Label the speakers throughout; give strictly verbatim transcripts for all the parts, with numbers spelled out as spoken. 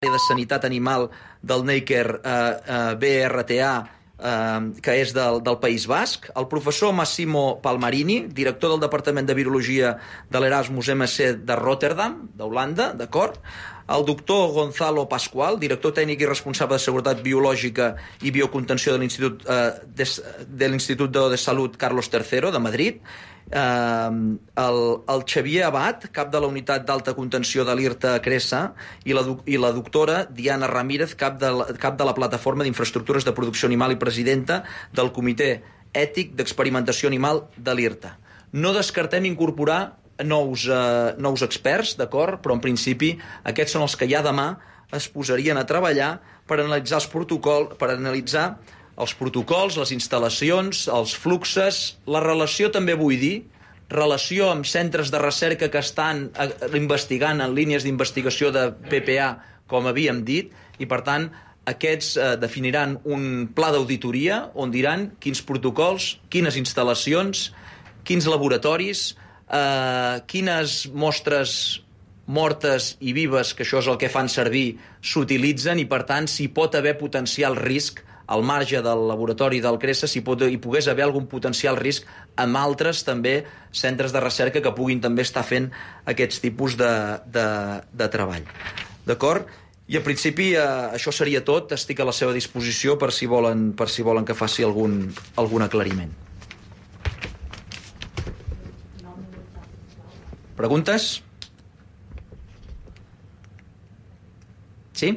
Speaker 1: de Sanitat Animal del Neiker eh, eh, B R T A, eh, que és del, del País Basc, el professor Massimo Palmarini, director del Departament de Virologia de l'Erasmus M C de Rotterdam, d'Holanda, d'acord? El doctor Gonzalo Pascual, director tècnic i responsable de Seguretat Biològica i Biocontenció de l'Institut eh, de, de l'Institut de Salut Carlos tercero, de Madrid, Uh, el, el Xavier Abad, cap de la unitat d'alta contenció de l'IRTA Cresa, i la, i la doctora Diana Ramírez, cap de la, cap de la plataforma d'infraestructures de producció animal i presidenta del Comitè Ètic d'Experimentació Animal de l'IRTA. No descartem incorporar nous, uh, nous experts, d'acord? Però en principi aquests són els que ja demà es posarien a treballar per analitzar els protocols, per analitzar els protocols, les instal·lacions, els fluxes, la relació també vull dir, relació amb centres de recerca que estan investigant en línies d'investigació de P P A, com havíem dit, i per tant aquests eh, definiran un pla d'auditoria on diran quins protocols, quines instal·lacions, quins laboratoris, eh, quines mostres mortes i vives, que això és el que fan servir, s'utilitzen i per tant si pot haver potencial risc al marge del laboratori del Cresa, si pot, hi pogués haver algun potencial risc amb altres també centres de recerca que puguin també estar fent aquests tipus de, de, de treball. D'acord? I en principi eh, això seria tot. Estic a la seva disposició per si volen, per si volen que faci algun, algun aclariment. Preguntes? Sí?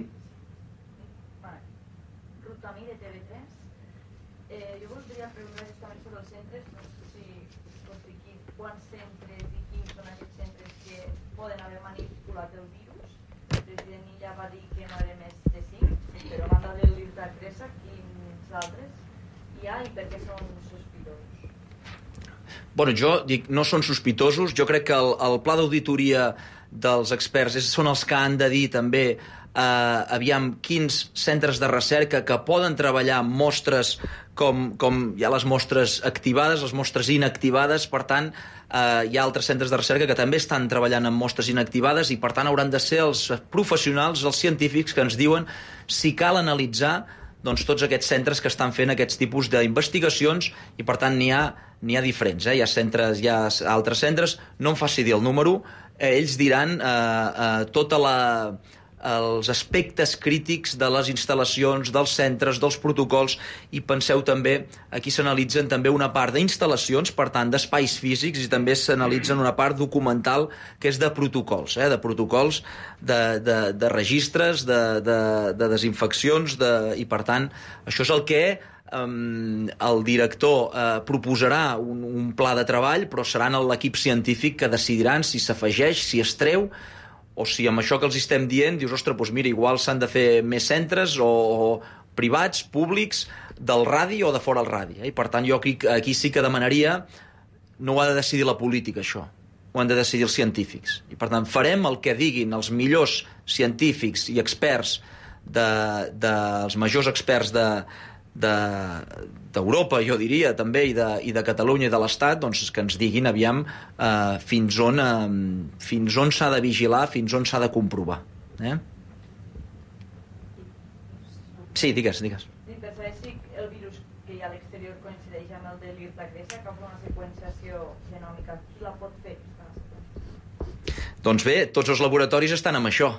Speaker 2: I per què són sospitosos?
Speaker 1: Bueno, jo dic, no són sospitosos. Jo crec que el, el pla d'auditoria dels experts és, són els que han de dir també eh, aviam quins centres de recerca que poden treballar amb mostres com, com hi ha les mostres activades, les mostres inactivades. Per tant, eh, hi ha altres centres de recerca que també estan treballant amb mostres inactivades i per tant hauran de ser els professionals, els científics que ens diuen si cal analitzar doncs, tots aquests centres que estan fent aquests tipus d'investigacions i per tant n'hi ha, n'hi ha diferents, eh? Hi ha centres, hi ha altres centres, no em faci dir el número, eh, ells diran eh, eh, tota la, els aspectes crítics de les instal·lacions, dels centres, dels protocols, i penseu també, aquí s'analitzen també una part d'instal·lacions, per tant d'espais físics, i també s'analitzen una part documental que és de protocols, eh? de protocols de, de, de registres, de, de, de desinfeccions, de, i per tant això és el que um, el director uh, proposarà un, un pla de treball, però seran l'equip científic que decidiran si s'afegeix, si es treu, o si amb això que els estem dient dius, ostres, doncs mira, igual s'han de fer més centres o, o privats, públics, del radi o de fora el radi. Eh? I per tant jo crec, aquí sí que demanaria, no ho ha de decidir la política això, ho han de decidir els científics. I per tant farem el que diguin els millors científics i experts, de, de, els majors experts de, de, d'Europa, jo diria, també, i de, i de Catalunya i de l'Estat, doncs que ens diguin, aviam, eh, fins on, eh, fins on s'ha de vigilar, fins on s'ha de comprovar. Eh? Sí, digues, digues.
Speaker 2: Sí, per saber si el virus que hi ha a l'exterior coincideix amb el de l'IRTA Cresa, que fa una seqüenciació genòmica, qui la pot fer?
Speaker 1: Doncs bé, tots els laboratoris estan amb això.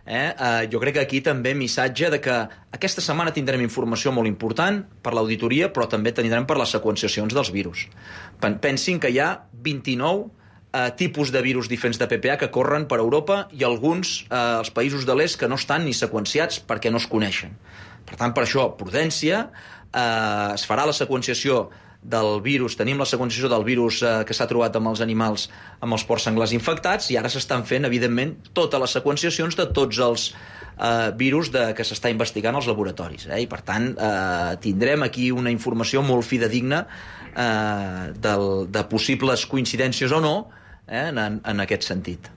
Speaker 1: Eh? Uh, jo crec que aquí també missatge de que aquesta setmana tindrem informació molt important per l'auditoria, però també tindrem per les seqüenciacions dels virus. Pensin que hi ha vint-i-nou uh, tipus de virus diferents de P P A que corren per Europa i alguns, uh, els països de l'est, que no estan ni seqüenciats perquè no es coneixen. Per tant, per això, prudència, uh, es farà la seqüenciació del virus, tenim la seqüenciació del virus eh, que s'ha trobat amb els animals, amb els porcs senglars infectats, i ara s'estan fent, evidentment, totes les seqüenciacions de tots els eh, virus de, que s'està investigant als laboratoris. Eh? I, per tant, eh, tindrem aquí una informació molt fidedigna eh, del, de possibles coincidències o no eh, en, en aquest sentit.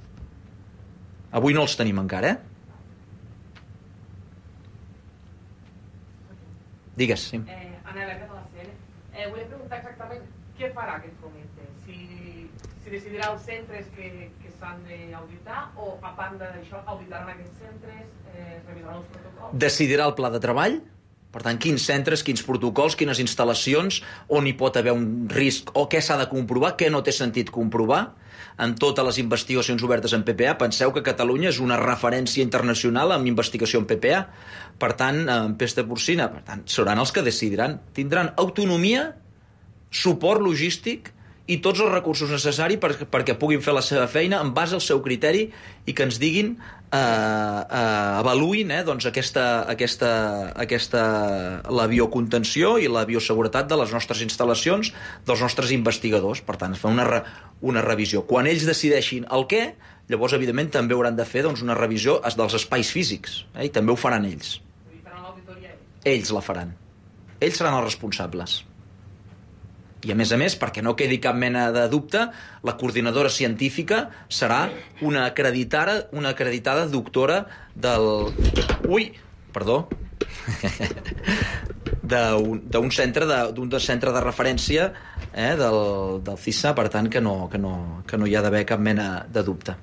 Speaker 1: Avui no els tenim encara, eh? Digues, sí.
Speaker 3: Eh, Anna Berga de la C N. Eh, volia preguntar exactament què farà aquest comitè. Si, si decidirà els centres que, que s'han d'auditar o, a banda d'això, auditaran aquests centres, eh, revisaran els protocols?
Speaker 1: Decidirà el pla de treball, per tant, quins centres, quins protocols, quines instal·lacions, on hi pot haver un risc o què s'ha de comprovar, què no té sentit comprovar. En totes les investigacions obertes en P P A, penseu que Catalunya és una referència internacional en investigació en P P A. Per tant, en pesta porcina, per tant, seran els que decidiran. Tindran autonomia, suport logístic i tots els recursos necessaris per, perquè puguin fer la seva feina en base al seu criteri i que ens diguin, eh, eh, avaluïn eh, doncs aquesta, aquesta, aquesta, la biocontenció i la bioseguretat de les nostres instal·lacions, dels nostres investigadors. Per tant, es fa una, re, una revisió. Quan ells decideixin el què, llavors, evidentment, també hauran de fer doncs, una revisió dels espais físics, eh, i també ho faran ells.
Speaker 3: I faran l'auditoria ells?
Speaker 1: Ells la faran. Ells seran els responsables. I, a més a més, perquè no quedi cap mena de dubte, la coordinadora científica serà una acreditada, una acreditada doctora del... Ui, perdó. d'un centre de, d'un centre de referència eh, del, del C I S A, per tant, que no, que no, que no hi ha d'haver cap mena de dubte.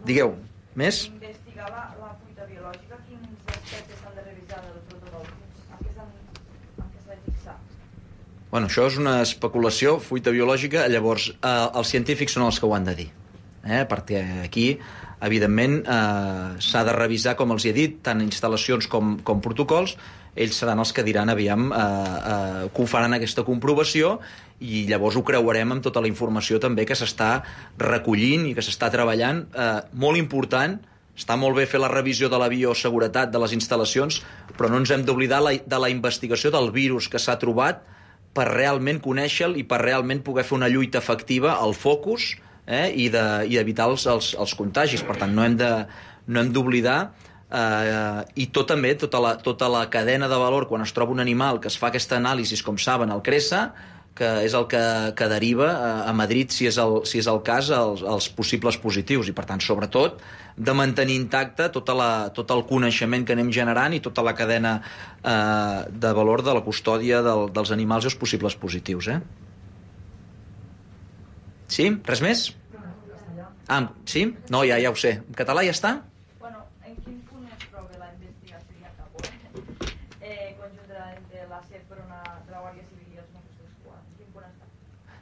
Speaker 1: Digueu, més?
Speaker 2: Investigar la, la fuita biològica, quins aspectes s'han de revisar del protocol? En què s'han de fixar?
Speaker 1: Bueno, això és una especulació, fuita biològica, llavors eh, els científics són els que ho han de dir, eh, perquè aquí, evidentment, eh, s'ha de revisar, com els he dit, tant instal·lacions com, com protocols. Ells seran els que diran, aviam, eh, eh, que ho faran aquesta comprovació i llavors ho creuarem amb tota la informació també que s'està recollint i que s'està treballant. Eh, molt important, està molt bé fer la revisió de la bioseguretat de les instal·lacions, però no ens hem d'oblidar la, de la investigació del virus que s'ha trobat per realment conèixer-lo i per realment poder fer una lluita efectiva al focus eh, i d'evitar els, els, els contagis. Per tant, no hem de, no hem d'oblidar Uh, i tot també, tota la, tota la cadena de valor quan es troba un animal que es fa aquesta anàlisi, com saben, al CRESA, que és el que, que deriva a, a Madrid, si és el, si és el cas, els, els possibles positius. I, per tant, sobretot, de mantenir intacte tota la, tot el coneixement que anem generant i tota la cadena uh, de valor de la custòdia del, dels animals i els possibles positius. Eh? Sí? Res més? Ah, sí? No, ja, ja ho sé. En català ja està?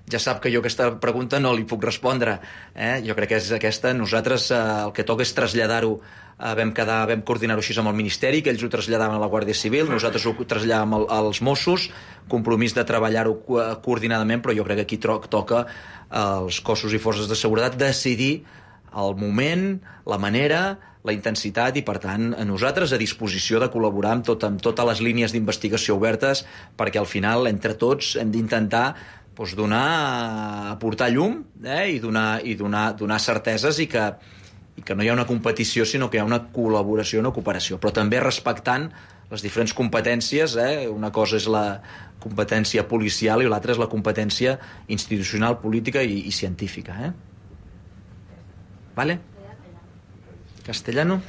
Speaker 1: Ja sap que jo aquesta pregunta no li puc respondre. Eh? Jo crec que és aquesta. Nosaltres eh, el que toca és traslladar-ho. Eh, vam, quedar, vam coordinar-ho així amb el Ministeri, que ells ho traslladaven a la Guàrdia Civil, nosaltres ho traslladàvem al, als Mossos, compromís de treballar-ho co coordinadament, però jo crec que aquí toca als cossos i forces de seguretat decidir el moment, la manera, la intensitat i, per tant, a nosaltres a disposició de col·laborar amb, tot, amb totes les línies d'investigació obertes perquè al final, entre tots, hem d'intentar doncs, donar, aportar llum eh, i, donar, i donar, donar certeses i que, i que no hi ha una competició sinó que hi ha una col·laboració, una cooperació, però també respectant les diferents competències. Eh? Una cosa és la competència policial i l'altra és la competència institucional, política i, i científica. Eh? Vale? Castellano?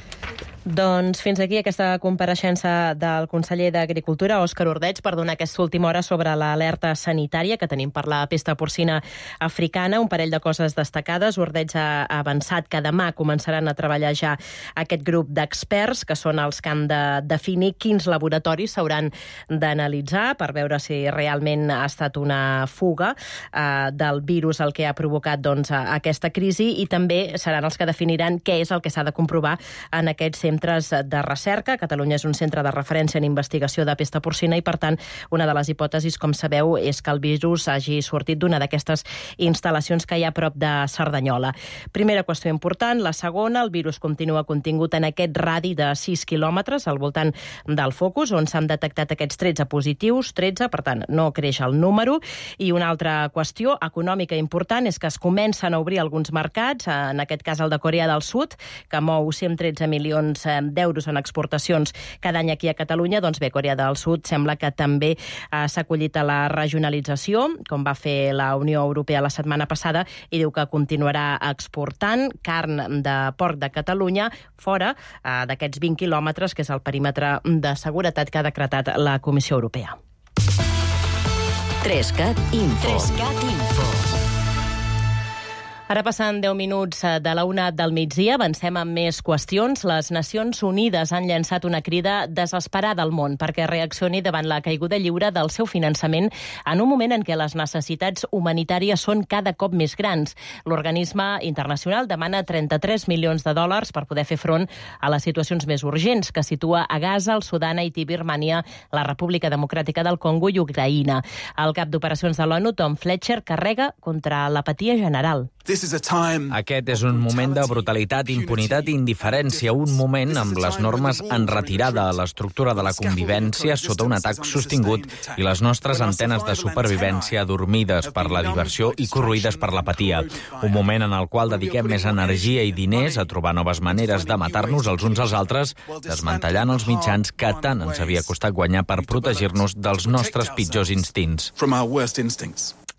Speaker 4: Doncs fins aquí aquesta compareixença del conseller d'Agricultura, Òscar Ordeig, per donar aquesta última hora sobre l'alerta sanitària que tenim per la pesta porcina africana. Un parell de coses destacades. Ordeig ha avançat que demà començaran a treballar ja aquest grup d'experts, que són els que han de definir quins laboratoris s'hauran d'analitzar per veure si realment ha estat una fuga eh, del virus el que ha provocat doncs, aquesta crisi, i també seran els que definiran què és el que s'ha de comprovar en aquests centres de recerca. Catalunya és un centre de referència en investigació de pesta porcina i, per tant, una de les hipòtesis, com sabeu, és que el virus hagi sortit d'una d'aquestes instal·lacions que hi ha a prop de Cerdanyola. Primera qüestió important. La segona, el virus continua contingut en aquest radi de sis quilòmetres al voltant del focus, on s'han detectat aquests tretze positius, tretze, per tant, no creix el número. I una altra qüestió econòmica important és que es comencen a obrir alguns mercats, en aquest cas el de Corea del Sud, que mou cent tretze milions d'euros en exportacions cada any aquí a Catalunya. Doncs bé, Corea del Sud sembla que també eh, s'ha acollit a la regionalització, com va fer la Unió Europea la setmana passada, i diu que continuarà exportant carn de porc de Catalunya fora eh, d'aquests vint quilòmetres, que és el perímetre de seguretat que ha decretat la Comissió Europea.
Speaker 5: Trescat Info. Trescat Info.
Speaker 4: Ara passen deu minuts de la una del migdia, avancem amb més qüestions. Les Nacions Unides han llançat una crida desesperada al món perquè reaccioni davant la caiguda lliure del seu finançament en un moment en què les necessitats humanitàries són cada cop més grans. L'organisme internacional demana trenta-tres milions de dòlars per poder fer front a les situacions més urgents que situa a Gaza, el Sudan, Haití, Birmània, la República Democràtica del Congo i Ucraïna. El cap d'operacions de l'ONU, Tom Fletcher, carrega contra l'apatia general.
Speaker 6: Aquest és un moment de brutalitat, impunitat i indiferència, un moment amb les normes en retirada, l'estructura de la convivència sota un atac sostingut i les nostres antenes de supervivència adormides per la diversió i corroïdes per l'apatia. Un moment en el qual dediquem més energia i diners a trobar noves maneres de matar-nos els uns als altres, desmantellant els mitjans que tant ens havia costat guanyar per protegir-nos dels nostres pitjors instints.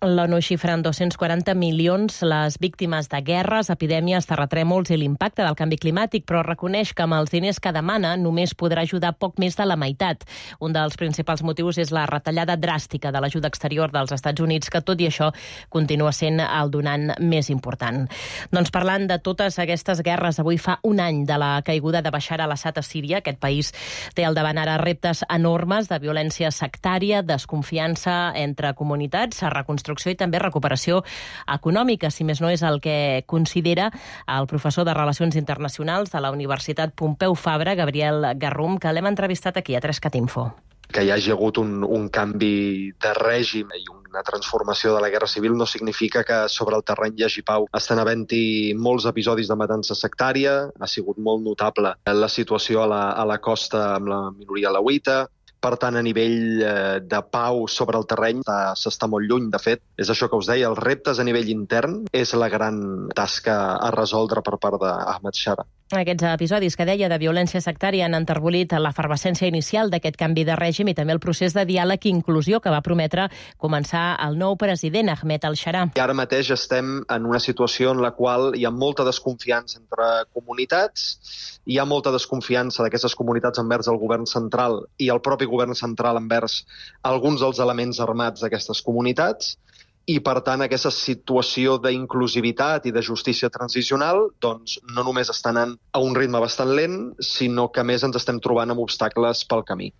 Speaker 4: L'ONU xifra en dos-cents quaranta milions les víctimes de guerres, epidèmies, terratrèmols i l'impacte del canvi climàtic, però reconeix que amb els diners que demana només podrà ajudar poc més de la meitat. Un dels principals motius és la retallada dràstica de l'ajuda exterior dels Estats Units, que tot i això continua sent el donant més important. Doncs parlant de totes aquestes guerres, avui fa un any de la caiguda de Bashar al-Assad a Síria. Aquest país té al davant ara reptes enormes de violència sectària, desconfiança entre comunitats, reconstrucció i també recuperació econòmica, si més no és el que considera el professor de Relacions Internacionals de la Universitat Pompeu Fabra, Gabriel Garrum, que l'hem entrevistat aquí a Trescat Info.
Speaker 7: Que hi hagi hagut un, un canvi de règim i una transformació de la guerra civil no significa que sobre el terreny hi hagi pau. Estan havent-hi molts episodis de matança sectària, ha sigut molt notable la situació a la, a la costa amb la minoria alauita. Per tant, a nivell eh, de pau sobre el terreny s'està molt lluny, de fet. És això que us deia, els reptes a nivell intern és la gran tasca a resoldre per part d'Ahmed Shara.
Speaker 4: Aquests episodis que deia de violència sectària han enterbolit l'efervescència inicial d'aquest canvi de règim i també el procés de diàleg i inclusió que va prometre començar el nou president, Ahmed al-Shara.
Speaker 7: I ara mateix estem en una situació en la qual hi ha molta desconfiança entre comunitats, hi ha molta desconfiança d'aquestes comunitats envers el govern central i el propi govern central envers alguns dels elements armats d'aquestes comunitats. I, per tant, aquesta situació d'inclusivitat i de justícia transicional doncs, no només està anant a un ritme bastant lent, sinó que, a més, ens estem trobant amb obstacles pel camí.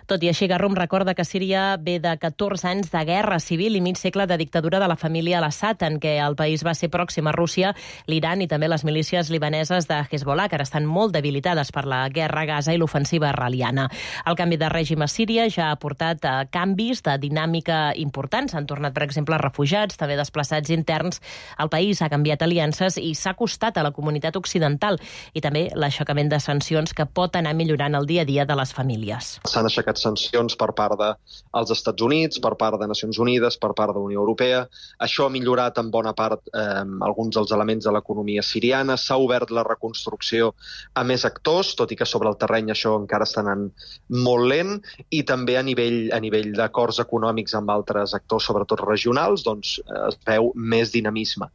Speaker 4: Tot i així, Garrum recorda que Síria ve de catorze anys de guerra civil i mig segle de dictadura de la família al-Assad, en què el país va ser pròxim a Rússia, l'Iran i també les milícies libaneses de Hezbollah, que ara estan molt debilitades per la guerra a Gaza i l'ofensiva israeliana. El canvi de règim a Síria ja ha portat a canvis de dinàmica importants. Han tornat, per exemple, refugiats, també desplaçats interns. El país ha canviat aliances i s'ha acostat a la comunitat occidental i també l'aixecament de sancions que pot anar millorant el dia a dia de les famílies.
Speaker 7: S'han aixecat sancions per part dels Estats Units, per part de Nacions Unides, per part de la Unió Europea. Això ha millorat en bona part eh, alguns dels elements de l'economia siriana. S'ha obert la reconstrucció a més actors, tot i que sobre el terreny això encara està anant molt lent, i també a nivell, a nivell d'acords econòmics amb altres actors, sobretot regionals, doncs es veu més dinamisme.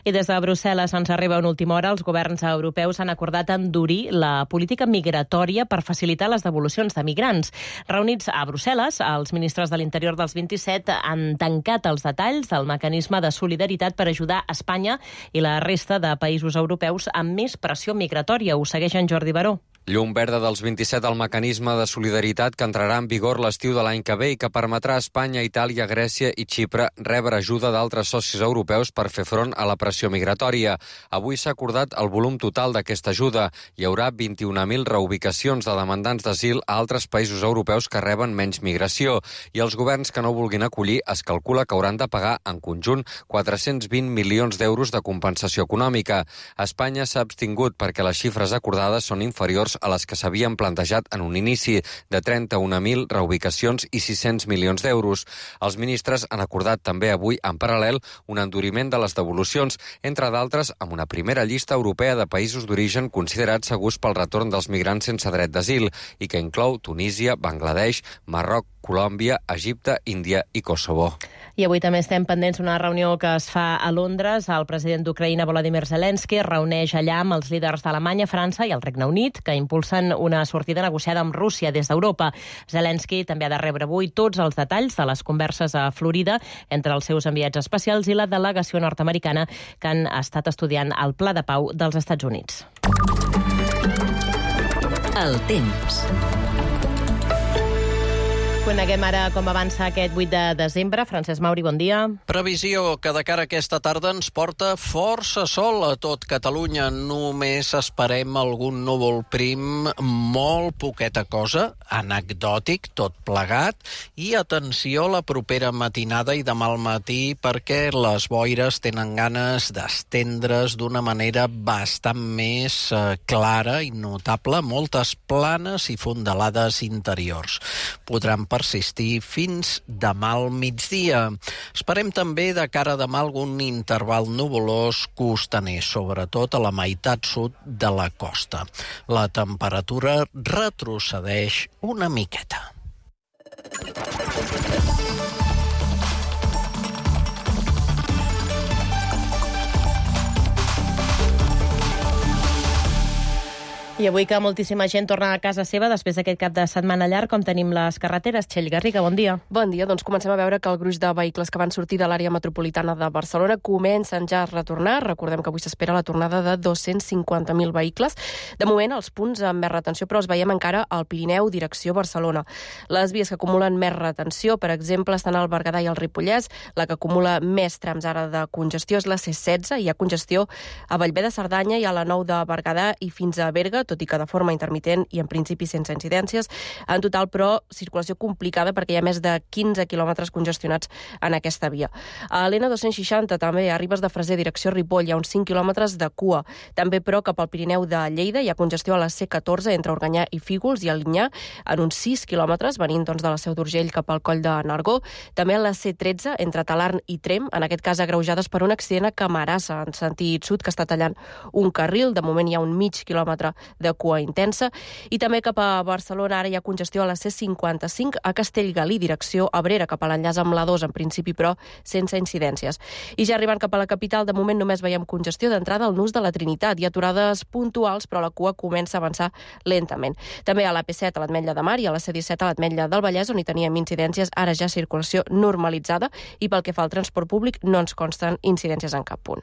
Speaker 4: I des de Brussel·les ens arriba una última hora. Els governs europeus han acordat endurir la política migratòria per facilitar les devolucions de migrants. Reunits a Brussel·les, els ministres de l'Interior dels vint-i-set han tancat els detalls del mecanisme de solidaritat per ajudar Espanya i la resta de països europeus amb més pressió migratòria. Ho segueix en Jordi Baró.
Speaker 8: Llum verda dels vint-i-set al mecanisme de solidaritat que entrarà en vigor l'estiu de l'any que ve i que permetrà a Espanya, Itàlia, Grècia i Xipre rebre ajuda d'altres socis europeus per fer front a la pressió migratòria. Avui s'ha acordat el volum total d'aquesta ajuda. Hi haurà vint-i-una mil reubicacions de demandants d'asil a altres països europeus que reben menys migració i els governs que no vulguin acollir es calcula que hauran de pagar en conjunt quatre-cents vint milions d'euros de compensació econòmica. Espanya s'ha abstingut perquè les xifres acordades són inferiors a les que s'havien plantejat en un inici de trenta-una mil reubicacions i sis-cents milions d'euros. Els ministres han acordat també avui, en paral·lel, un enduriment de les devolucions, entre d'altres amb una primera llista europea de països d'origen considerats segurs pel retorn dels migrants sense dret d'asil i que inclou Tunísia, Bangladesh, Marroc, Colòmbia, Egipte, Índia i Kosovo.
Speaker 4: I avui també estem pendents d'una reunió que es fa a Londres. El president d'Ucraïna, Volodymyr Zelensky, es reuneix allà amb els líders d'Alemanya, França i el Regne Unit, que impulsen una sortida negociada amb Rússia des d'Europa. Zelensky també ha de rebre avui tots els detalls de les converses a Florida entre els seus enviats especials i la delegació nord-americana que han estat estudiant el Pla de Pau dels Estats Units.
Speaker 5: El temps.
Speaker 4: Coneguem ara com avança aquest vuit de desembre. Francesc Mauri, bon dia.
Speaker 9: Previsió que de cara a aquesta tarda ens porta força sol a tot Catalunya. Només esperem algun núvol prim, molt poqueta cosa, anecdòtic, tot plegat. I atenció la propera matinada i demà al matí perquè les boires tenen ganes d'estendre's d'una manera bastant més eh, clara i notable. Moltes planes i fondalades interiors. Podran persistir fins demà al migdia. Esperem també de cara a demà algun interval nuvolós costaner, sobretot a la meitat sud de la costa. La temperatura retrocedeix una miqueta.
Speaker 4: I avui que moltíssima gent torna a casa seva després d'aquest cap de setmana llarg, com tenim les carreteres. Txell Garriga, bon dia.
Speaker 10: Bon dia, doncs comencem a veure que el gruix de vehicles que van sortir de l'àrea metropolitana de Barcelona comencen ja a retornar. Recordem que avui s'espera la tornada de dos-cents cinquanta mil vehicles. De moment, els punts amb més retenció, però els veiem encara al Pirineu, direcció Barcelona. Les vies que acumulen més retenció, per exemple, estan al Berguedà i al Ripollès. La que acumula més trams ara de congestió és la C setze. Hi ha congestió a Bellver de Cerdanya i a la nou de Berguedà i fins a Berga, tot i que de forma intermitent i en principi sense incidències. En total, però, circulació complicada perquè hi ha més de quinze quilòmetres congestionats en aquesta via. A l'N dos cents seixanta també, a Ribes de Freser, direcció Ripoll, hi ha uns cinc quilòmetres de cua. També, però, cap al Pirineu de Lleida hi ha congestió a la C catorze entre Organyà i Fígols i a Linyà en uns sis quilòmetres, venint doncs, de la Seu d'Urgell cap al Coll de Nargó. També a la C tretze entre Talarn i Tremp, en aquest cas agreujades per un accident a Camarasa, en sentit sud, que està tallant un carril. De moment hi ha un mig quilòmetre de cua intensa. I també cap a Barcelona ara hi ha congestió a la C cinquanta-cinc a Castellgalí, direcció Abrera, cap a l'enllaç amb la dos, en principi, però sense incidències. I ja arribant cap a la capital, de moment només veiem congestió d'entrada al Nus de la Trinitat. Hi ha aturades puntuals, però la cua comença a avançar lentament. També a la P set a l'Ametlla de Mar i a la C disset a l'Ametlla del Vallès, on hi teníem incidències, ara ja circulació normalitzada, i pel que fa al transport públic no ens consten incidències en cap punt.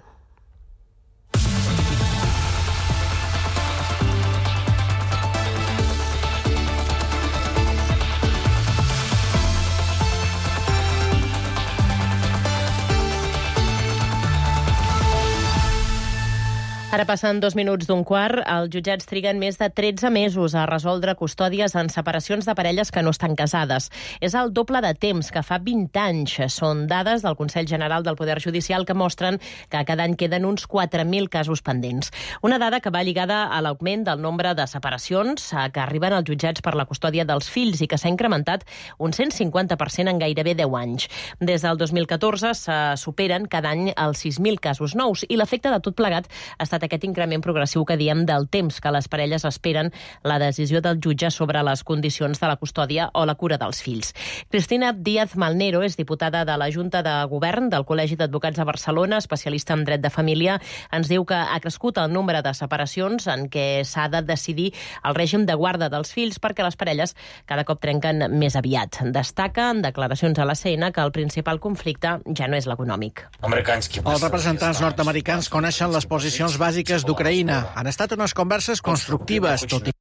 Speaker 4: Ara passen dos minuts d'un quart. Els jutjats triguen més de tretze mesos a resoldre custòdies en separacions de parelles que no estan casades. És el doble de temps que fa vint anys. Són dades del Consell General del Poder Judicial que mostren que cada any queden uns quatre mil casos pendents. Una dada que va lligada a l'augment del nombre de separacions que arriben als jutjats per la custòdia dels fills i que s'ha incrementat un cent cinquanta per cent en gairebé deu anys. Des del dos mil catorze se superen cada any els sis mil casos nous i l'efecte de tot plegat ha estat aquest increment progressiu que diem del temps que les parelles esperen la decisió del jutge sobre les condicions de la custòdia o la cura dels fills. Cristina Díaz Malnero és diputada de la Junta de Govern del Col·legi d'Advocats de Barcelona, especialista en dret de família. Ens diu que ha crescut el nombre de separacions en què s'ha de decidir el règim de guarda dels fills perquè les parelles cada cop trenquen més aviat. Destaca en declaracions a la C N que el principal conflicte ja no és l'econòmic.
Speaker 11: Els representants nord-americans coneixen les posicions bàsiques d'Ucraïna. Han estat unes converses constructives, tot i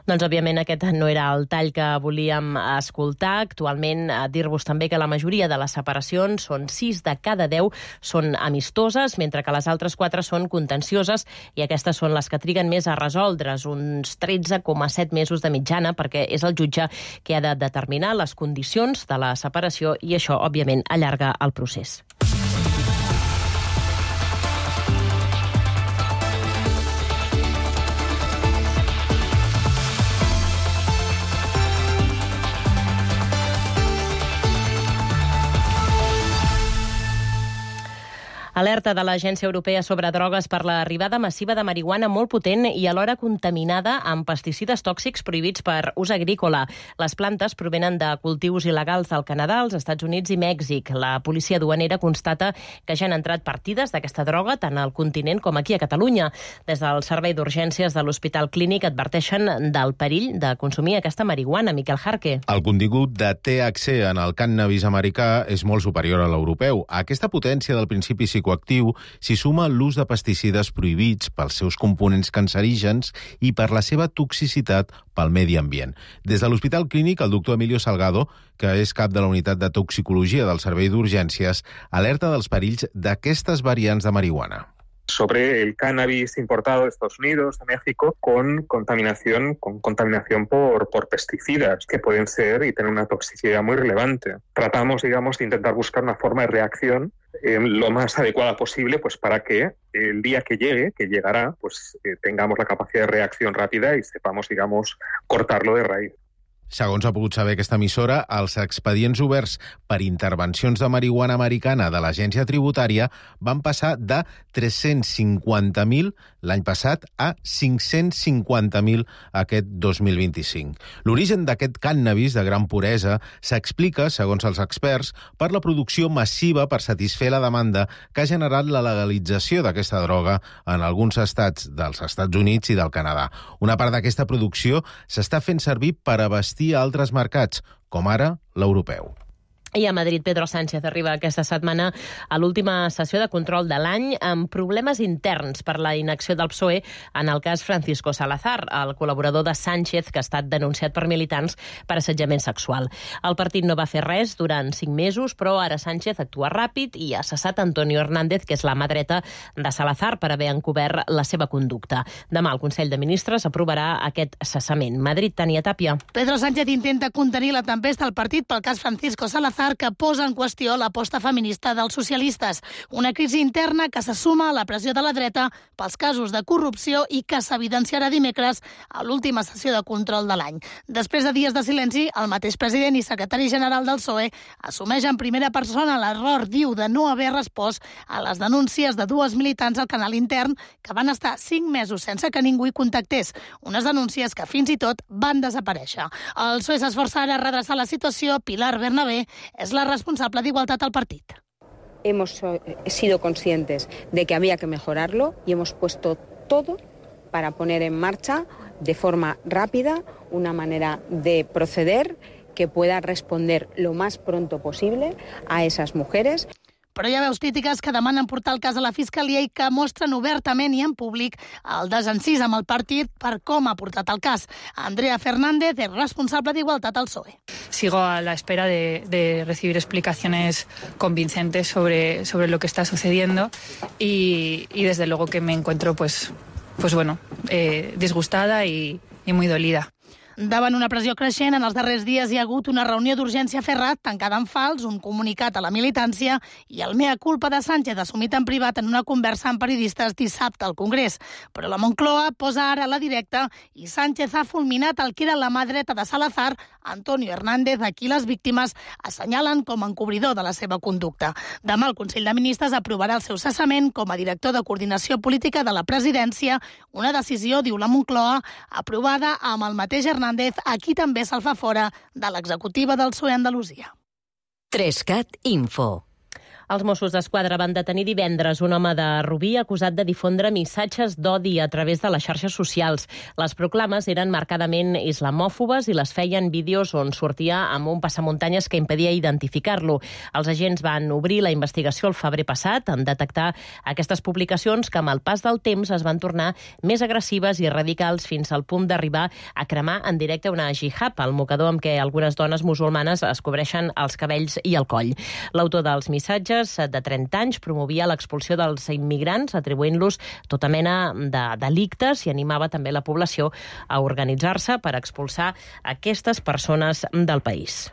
Speaker 4: Doncs, òbviament, aquest no era el tall que volíem escoltar. Actualment, dir-vos també que la majoria de les separacions, són sis de cada deu, són amistoses, mentre que les altres quatre són contencioses, i aquestes són les que triguen més a resoldre's, uns tretze coma set mesos de mitjana, perquè és el jutge que ha de determinar les condicions de la separació i això, òbviament, allarga el procés. Alerta de l'Agència Europea sobre drogues per l'arribada massiva de marihuana molt potent i alhora contaminada amb pesticides tòxics prohibits per ús agrícola. Les plantes provenen de cultius il·legals al Canadà, als Estats Units i Mèxic. La policia duanera constata que ja han entrat partides d'aquesta droga tant al continent com aquí a Catalunya. Des del Servei d'Urgències de l'Hospital Clínic adverteixen del perill de consumir aquesta marihuana. Miquel Jarque.
Speaker 12: El contingut de T H C en el cànnabis americà és molt superior a l'europeu. A aquesta potència del principi psicoactiu s'hi suma l'ús de pesticides prohibits pels seus components cancerígens i per la seva toxicitat pel medi ambient. Des de l'Hospital Clínic, el doctor Emilio Salgado, que és cap de la unitat de toxicologia del Servei d'Urgències, alerta dels perills d'aquestes variants de marihuana.
Speaker 13: Sobre el cannabis importado de Estados Unidos, de México, con contaminación, con contaminación por, por pesticidas, que pueden ser y tener una toxicidad muy relevante. Tratamos, digamos, de intentar buscar una forma de reacción eh, lo más adecuada posible, pues para que el día que llegue, que llegará, pues eh, tengamos la capacidad de reacción rápida y sepamos, digamos, cortarlo de raíz.
Speaker 12: Segons ha pogut saber aquesta emissora, els expedients oberts per intervencions de marihuana americana de l'agència tributària van passar de tres-cents cinquanta mil l'any passat a cinc-cents cinquanta mil aquest dos mil vint-i-cinc. L'origen d'aquest cànnabis de gran puresa s'explica, segons els experts, per la producció massiva per satisfer la demanda que ha generat la legalització d'aquesta droga en alguns estats dels Estats Units i del Canadà. Una part d'aquesta producció s'està fent servir per abastir a altres mercats, com ara l'europeu.
Speaker 4: I a Madrid, Pedro Sánchez arriba aquesta setmana a l'última sessió de control de l'any amb problemes interns per la inacció del P S O E en el cas Francisco Salazar, el col·laborador de Sánchez que ha estat denunciat per militants per assetjament sexual. El partit no va fer res durant cinc mesos, però ara Sánchez actua ràpid i ha cessat Antonio Hernández, que és la mà dreta de Salazar, per haver encobert la seva conducta. Demà el Consell de Ministres aprovarà aquest cessament. Madrid, Tania Tàpia.
Speaker 14: Pedro Sánchez intenta contenir la tempesta al partit pel cas Francisco Salazar, que posa en qüestió l'aposta feminista dels socialistes. Una crisi interna que se suma a la pressió de la dreta pels casos de corrupció i que s'evidenciarà dimecres a l'última sessió de control de l'any. Després de dies de silenci, el mateix president i secretari general del P S O E assumeix en primera persona l'error, diu, de no haver respost a les denúncies de dues militants al canal intern que van estar cinc mesos sense que ningú hi contactés. Unes denúncies que fins i tot van desaparèixer. El P S O E s'esforça ara a redreçar la situació. Pilar Bernabé es la responsable de igualdad al partido.
Speaker 15: Hemos sido conscientes de que había que mejorarlo y hemos puesto todo para poner en marcha de forma rápida una manera de proceder que pueda responder lo más pronto posible a esas mujeres.
Speaker 14: Però hi ha veus crítiques que demanen portar el cas a la Fiscalia i que mostren obertament i en públic el desencís amb el partit per com ha portat el cas. Andrea Fernández és responsable d'Igualtat al P S O E.
Speaker 16: Sigo a la espera de, de recibir explicaciones convincentes sobre, sobre lo que está sucediendo y, y desde luego que me encuentro pues, pues bueno, eh, disgustada y, y muy dolida.
Speaker 14: Davant una pressió creixent, en els darrers dies hi ha hagut una reunió d'urgència a Ferrat, tancada en fals, un comunicat a la militància i el mea culpa de Sánchez assumit en privat en una conversa amb periodistes dissabte al Congrés. Però la Moncloa posa ara la directa i Sánchez ha fulminat el que era la mà dreta de Salazar, Antonio Hernández, a qui les víctimes assenyalen com a encobridor de la seva conducta. Demà el Consell de Ministres aprovarà el seu cessament com a director de coordinació política de la presidència, una decisió, diu la Moncloa, aprovada amb el mateix Hernández, a qui també se'l fa fora de l'executiva del P S O E Andalusia.
Speaker 5: Trescat Info.
Speaker 4: Els Mossos d'Esquadra van detenir divendres un home de Rubí acusat de difondre missatges d'odi a través de les xarxes socials. Les proclames eren marcadament islamòfobes i les feien vídeos on sortia amb un passamuntanyes que impedia identificar-lo. Els agents van obrir la investigació el febrer passat en detectar aquestes publicacions que amb el pas del temps es van tornar més agressives i radicals fins al punt d'arribar a cremar en directe una jihad, el mocador amb què algunes dones musulmanes es cobreixen els cabells i el coll. L'autor dels missatges, de trenta anys, promovia l'expulsió dels immigrants, atribuint-los tota mena de delictes i animava també la població a organitzar-se per expulsar aquestes persones del país.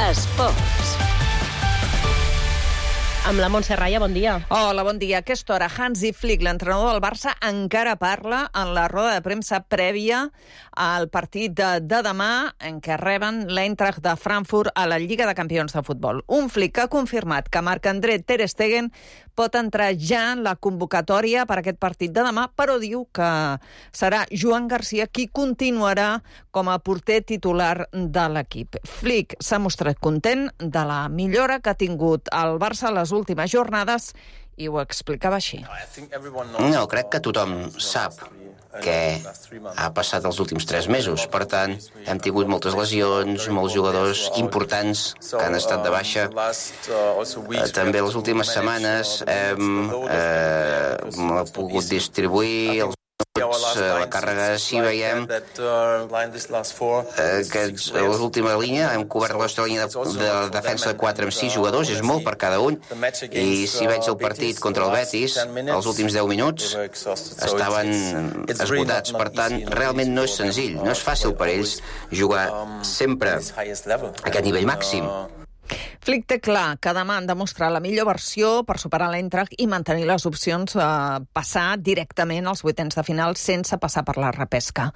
Speaker 5: Esports.
Speaker 4: Amb la Montse Raya, bon dia.
Speaker 17: Hola, bon dia. A aquesta hora, Hansi Flick, l'entrenador del Barça, encara parla en la roda de premsa prèvia al partit de, de demà en què reben l'Eintracht de Frankfurt a la Lliga de Campions de Futbol. Un Flick que ha confirmat que Marc-André Ter Stegen pot entrar ja en la convocatòria per a aquest partit de demà, però diu que serà Joan Garcia qui continuarà com a porter titular de l'equip. Flick s'ha mostrat content de la millora que ha tingut el Barça a les últimes jornades i ho explicava així.
Speaker 18: No, crec que tothom sap què ha passat els últims tres mesos. Per tant, hem tingut moltes lesions, molts jugadors importants que han estat de baixa. També les últimes setmanes hem eh, pogut distribuir els minuts, la càrrega. Si veiem que a l'última línia hem cobert la nostra línia de, de defensa de quatre amb sis jugadors, és molt per cada un, i si veig el partit contra el Betis, els últims deu minuts estaven esgotats. Per tant, realment no és senzill, no és fàcil per ells jugar sempre a aquest nivell màxim.
Speaker 17: Flick té clar que demà han de mostrar la millor versió per superar l'Eintracht i mantenir les opcions a passar directament als vuitens de final sense passar per la repesca.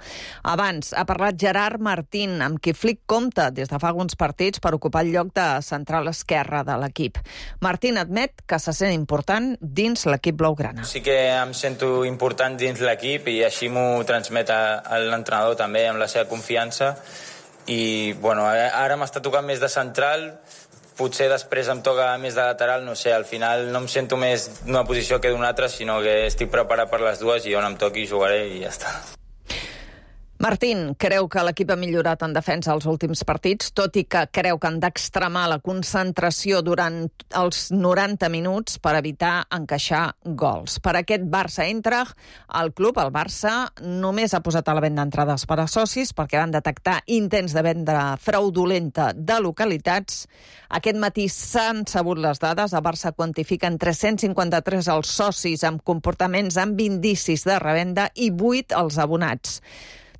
Speaker 17: Abans ha parlat Gerard Martín, amb qui Flick compta des de fa alguns partits per ocupar el lloc de central esquerra de l'equip. Martín admet que se sent important dins l'equip blaugrana.
Speaker 19: Sí que em sento important dins l'equip i així m'ho transmet a l'entrenador també amb la seva confiança. I bueno, ara m'està tocant més de central, potser després em toca més de lateral, no sé, al final no em sento més d'una posició que d'una altra, sinó que estic preparat per les dues i on em toqui jugaré i ja està.
Speaker 17: Martín creu que l'equip ha millorat en defensa als últims partits, tot i que creu que han d'extremar la concentració durant els noranta minuts per evitar encaixar gols. Per aquest Barça-Eintracht, el club, el Barça, només ha posat a la venda entrades per a socis perquè van detectar intents de venda fraudulenta de localitats. Aquest matí s'han sabut les dades. El Barça quantifica en tres-cents cinquanta-tres els socis amb comportaments amb indicis de revenda i vuit els abonats.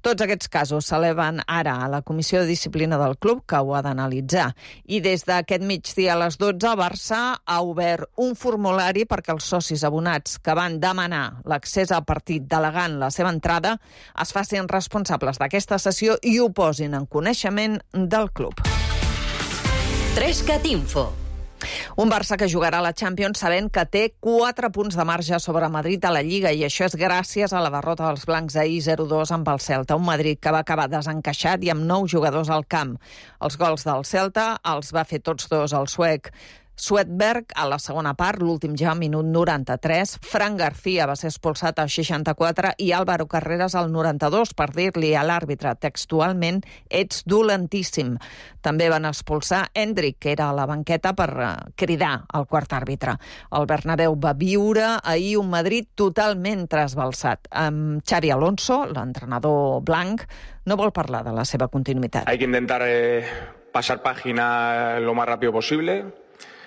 Speaker 17: Tots aquests casos s'eleven ara a la Comissió de Disciplina del club, que ho ha d'analitzar. I des d'aquest migdia a les dotze, el Barça ha obert un formulari perquè els socis abonats que van demanar l'accés al partit delegant la seva entrada es facin responsables d'aquesta sessió i ho posin en coneixement del club.
Speaker 5: Trescat Info.
Speaker 17: Un Barça que jugarà a la Champions sabent que té quatre punts de marge sobre Madrid a la Lliga, i això és gràcies a la derrota dels blancs ahir zero dos amb el Celta. Un Madrid que va acabar desencaixat i amb nou jugadors al camp. Els gols del Celta els va fer tots dos el suec Svedberg a la segona part, l'últim ja minut noranta-tres. Fran García va ser expulsat al seixanta-quatre i Álvaro Carreras al noranta-dos per dir-li a l'àrbitre textualment «ets dolentíssim». També van expulsar Endrick, que era a la banqueta, per cridar al quart àrbitre. El Bernabéu va viure ahir un Madrid totalment trasbalsat. Amb Xavi Alonso, l'entrenador blanc, no vol parlar de la seva continuïtat.
Speaker 20: Hay que intentar eh, pasar página lo más rápido posible.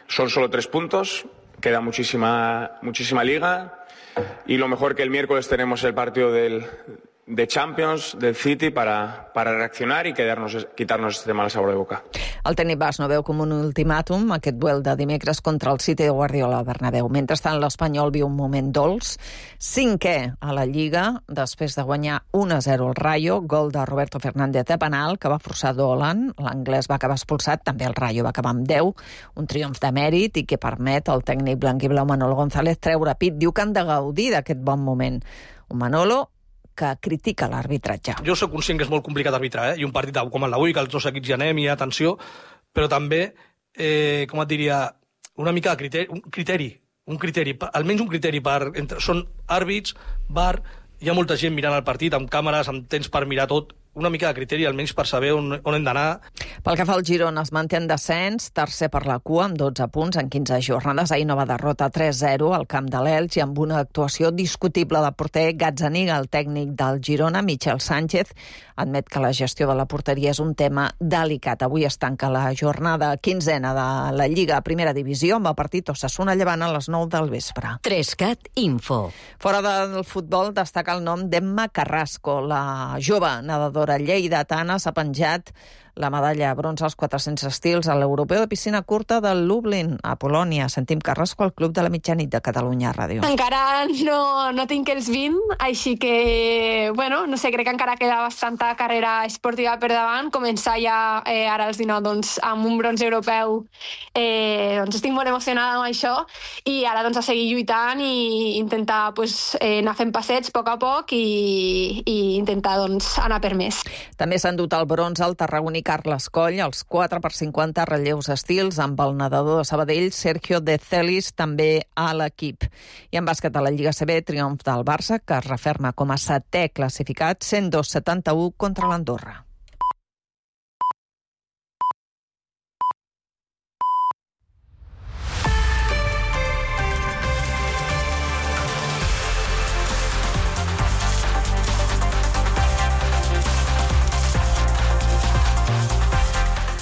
Speaker 20: Son solo tres puntos, queda muchísima, muchísima liga y lo mejor que el miércoles tenemos el partido del, de Champions, del City, para, para reaccionar y quedarnos, quitarnos este mal sabor de boca.
Speaker 17: El tècnic basc no veu com un ultimàtum aquest duel de dimecres contra el City de Guardiola al Bernabéu. Mentrestant, l'Espanyol viu un moment dolç. Cinquè a la Lliga, després de guanyar un a zero al Rayo, gol de Roberto Fernández de penal, que va forçar Dolan. L'anglès va acabar expulsat, també el Rayo va acabar amb deu. Un triomf de mèrit i que permet al tècnic blanc i blau Manolo González treure pit. Diu que han de gaudir d'aquest bon moment. Un Manolo que critica l'arbitratge.
Speaker 21: Jo soc conscient que és molt complicat arbitrar, eh? I un partit com el d'avui, que els dos equips hi anem i hi ha tensió, però també, eh, com et diria, una mica de criteri, un criteri, un criteri, almenys un criteri per... Entre, són àrbits, V A R, hi ha molta gent mirant el partit, amb càmeres, amb temps per mirar tot, una mica de criteri, almenys per saber on, on hem d'anar.
Speaker 17: Pel que fa al Girona, es manté en descens, tercer per la cua, amb dotze punts en quinze jornades. Ahir nova derrota tres zero al camp de l'Elx i amb una actuació discutible del porter Gazzaniga. El tècnic del Girona, Michel Sánchez, admet que la gestió de la porteria és un tema delicat. Avui es tanca la jornada quinzena de la Lliga a Primera Divisió amb el partit Osasuna Llevant a les nou del vespre.
Speaker 5: Trescat Info.
Speaker 17: Fora del futbol destaca el nom d'Emma Carrasco, la jove nedadora lleidatana s'ha penjat la medalla bronze als quatre-cents estils a l'Europeu de piscina curta de Lublin, a Polònia. Sentim Carrasco al Club de la Mitjanit de Catalunya Ràdio.
Speaker 3: Encara no, no tinc els vint, així que, bueno, no sé, crec que encara queda bastanta carrera esportiva per davant. Començar ja eh, ara als dinou doncs, amb un bronze europeu, eh, doncs estic molt emocionada amb això, i ara doncs, a seguir lluitant i intentar pues, eh, anar fent passets a poc a poc i, i intentar doncs, anar per més.
Speaker 17: També s'han dut el bronze al tarragoní Carles Coll, els quatre per cinquanta relleus estils, amb el nedador de Sabadell, Sergio de Celis, també a l'equip. I en bàsquet a la Lliga C B, triomf del Barça, que es referma com a setè classificat, cent dos a setanta-u contra l'Andorra.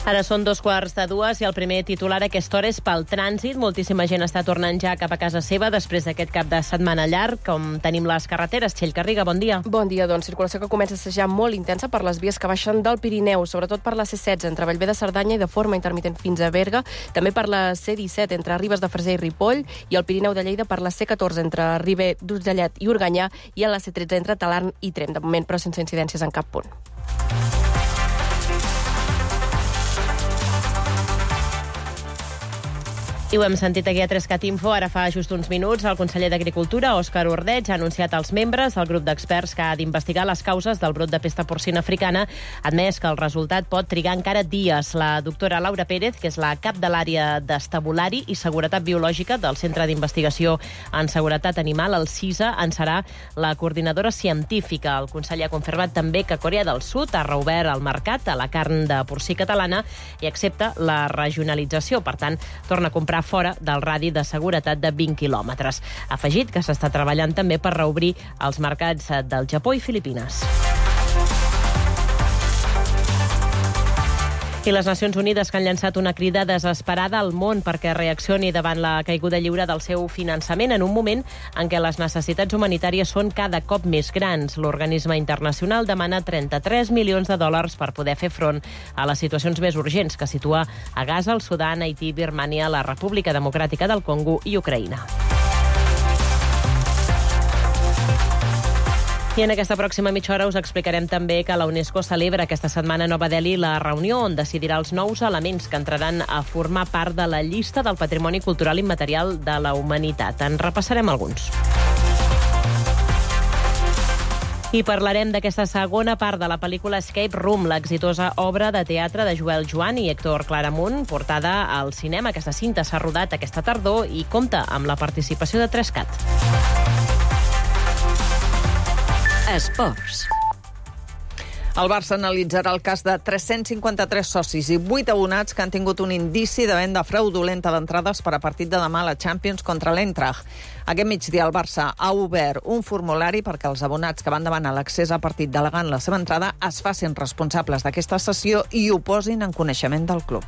Speaker 4: Ara són dos quarts de dues i el primer titular a aquesta hora és pel trànsit. Moltíssima gent està tornant ja cap a casa seva després d'aquest cap de setmana llarg. Com tenim les carreteres? Txell Garriga, bon dia.
Speaker 10: Bon dia, doncs. Circulació que comença a ser ja molt intensa per les vies que baixen del Pirineu, sobretot per la C setze entre Bellver de Cerdanya i de forma intermitent fins a Berga, també per la C disset entre Ribes de Freser i Ripoll, i el Pirineu de Lleida per la C catorze entre Ribé d'Urgellet i Organyà, i a la C tretze entre Talarn i Tremp, de moment, però sense incidències en cap punt.
Speaker 4: I ho hem sentit aquí a Trescat Info, ara fa just uns minuts. El conseller d'Agricultura, Òscar Ordeig, ha anunciat als membres del grup d'experts que ha d'investigar les causes del brot de pesta porcina africana, admès que el resultat pot trigar encara dies. La doctora Laura Pérez, que és la cap de l'àrea d'estabulari i seguretat biològica del Centre d'Investigació en Seguretat Animal, el CISA, en serà la coordinadora científica. El conseller ha confirmat també que Corea del Sud ha reobert el mercat a la carn de porcí catalana i accepta la regionalització. Per tant, torna a comprar fora del radi de seguretat de vint quilòmetres. Ha afegit que s'està treballant també per reobrir els mercats del Japó i Filipines. I les Nacions Unides, que han llançat una crida desesperada al món perquè reaccioni davant la caiguda lliure del seu finançament en un moment en què les necessitats humanitàries són cada cop més grans. L'organisme internacional demana trenta-tres milions de dòlars per poder fer front a les situacions més urgents que situa a Gaza, el Sudan, Haití, Birmània, la República Democràtica del Congo i Ucraïna. I en aquesta pròxima mitja hora us explicarem també que la UNESCO celebra aquesta setmana a Nova Delhi la reunió on decidirà els nous elements que entraran a formar part de la llista del patrimoni cultural immaterial de la humanitat. En repassarem alguns. I parlarem d'aquesta segona part de la pel·lícula Escape Room, l'exitosa obra de teatre de Joel Joan i Héctor Claramunt, portada al cinema. Aquesta cinta s'ha rodat aquesta tardor i compta amb la participació de Trescat.
Speaker 5: Esports.
Speaker 17: El Barça analitzarà el cas de tres-cents cinquanta-tres socis i vuit abonats que han tingut un indici de venda fraudulenta d'entrades per a partit de demà a la Champions contra l'Eintracht. Aquest migdia el Barça ha obert un formulari perquè els abonats que van demanar l'accés al partit delegant la seva entrada es facin responsables d'aquesta sessió i ho posin en coneixement del club.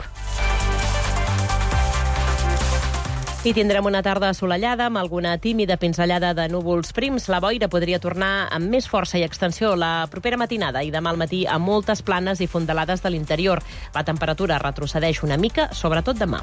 Speaker 4: I tindrem una tarda assolellada amb alguna tímida pinzellada de núvols prims. La boira podria tornar amb més força i extensió la propera matinada i demà al matí a moltes planes i fondalades de l'interior. La temperatura retrocedeix una mica, sobretot demà.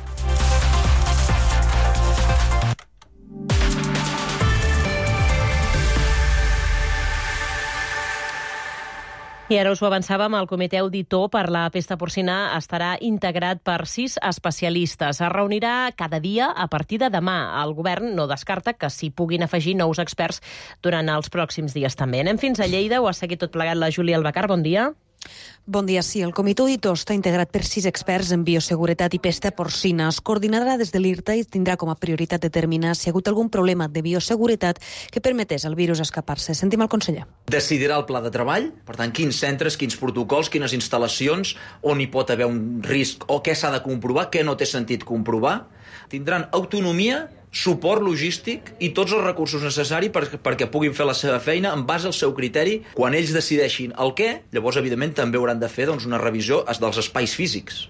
Speaker 4: I ara us ho avançàvem, el comitè auditor per la pesta porcina estarà integrat per sis especialistes. Es reunirà cada dia a partir de demà. El govern no descarta que s'hi puguin afegir nous experts durant els pròxims dies també. Anem fins a Lleida, ho ha seguit tot plegat la Júlia Albacar. Bon dia.
Speaker 22: Bon dia, sí. El comitè auditor està integrat per sis experts en bioseguretat i pesta porcina. Es coordinarà des de l'I R T A i tindrà com a prioritat determinar si hi ha hagut algun problema de bioseguretat que permetés al virus escapar-se. Sentim el conseller.
Speaker 1: Decidirà el pla de treball, per tant, quins centres, quins protocols, quines instal·lacions, on hi pot haver un risc o què s'ha de comprovar, què no té sentit comprovar. Tindran autonomia, suport logístic i tots els recursos necessaris per, perquè puguin fer la seva feina en base al seu criteri. Quan ells decideixin el què, llavors, evidentment, també hauran de fer doncs, una revisió dels espais físics.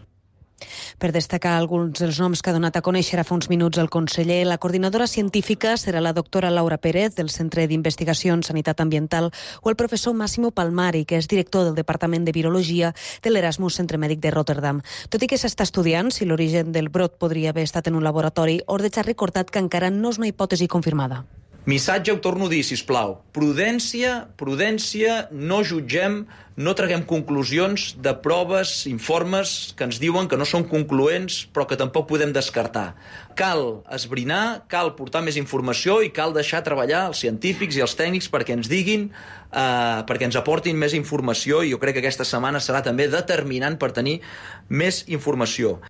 Speaker 22: Per destacar alguns dels noms que ha donat a conèixer a fa uns minuts el conseller, la coordinadora científica serà la doctora Laura Pérez, del Centre d'Investigació en Sanitat Ambiental, o el professor Massimo Palmari, que és director del Departament de Virologia de l'Erasmus Centre Mèdic de Rotterdam. Tot i que s'està estudiant si l'origen del brot podria haver estat en un laboratori, Ordeig ha recordat que encara no és una hipòtesi confirmada.
Speaker 1: Missatge, ho torno a dir, sisplau. Prudència, prudència, no jutgem, no traguem conclusions de proves, informes que ens diuen que no són concloents, però que tampoc podem descartar. Cal esbrinar, cal portar més informació i cal deixar treballar els científics i els tècnics perquè ens diguin, eh, perquè ens aportin més informació, i jo crec que aquesta setmana serà també determinant per tenir més informació.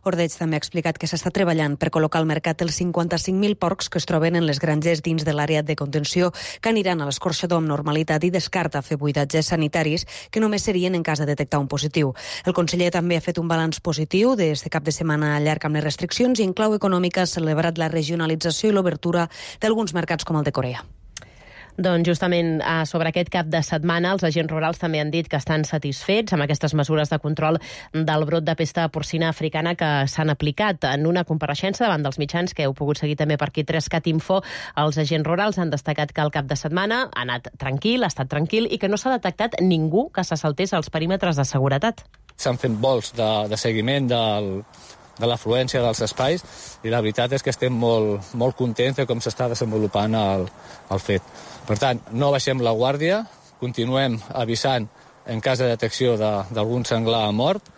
Speaker 22: Ordeig també ha explicat que s'està treballant per col·locar al mercat els cinquanta-cinc mil porcs que es troben en les granges dins de l'àrea de contenció, que aniran a l'escorxador amb normalitat, i descarta fer buidatges sanitaris que només serien en cas de detectar un positiu. El conseller també ha fet un balanç positiu d'aquest cap de setmana llarg amb les restriccions, i en clau econòmica ha celebrat la regionalització i l'obertura d'alguns mercats com el de Corea.
Speaker 4: Doncs justament sobre aquest cap de setmana els agents rurals també han dit que estan satisfets amb aquestes mesures de control del brot de pesta porcina africana que s'han aplicat. En una compareixença davant dels mitjans que heu pogut seguir també per aquí Trescat Info, els agents rurals han destacat que el cap de setmana ha anat tranquil, ha estat tranquil, i que no s'ha detectat ningú que se saltés als perímetres de seguretat.
Speaker 2: S'han fet vols de, de seguiment del de l'afluència dels espais, i la veritat és que estem molt, molt contents de com s'està desenvolupant el, el fet. Per tant, no baixem la guàrdia, continuem avisant en cas de detecció d'algun senglar mort.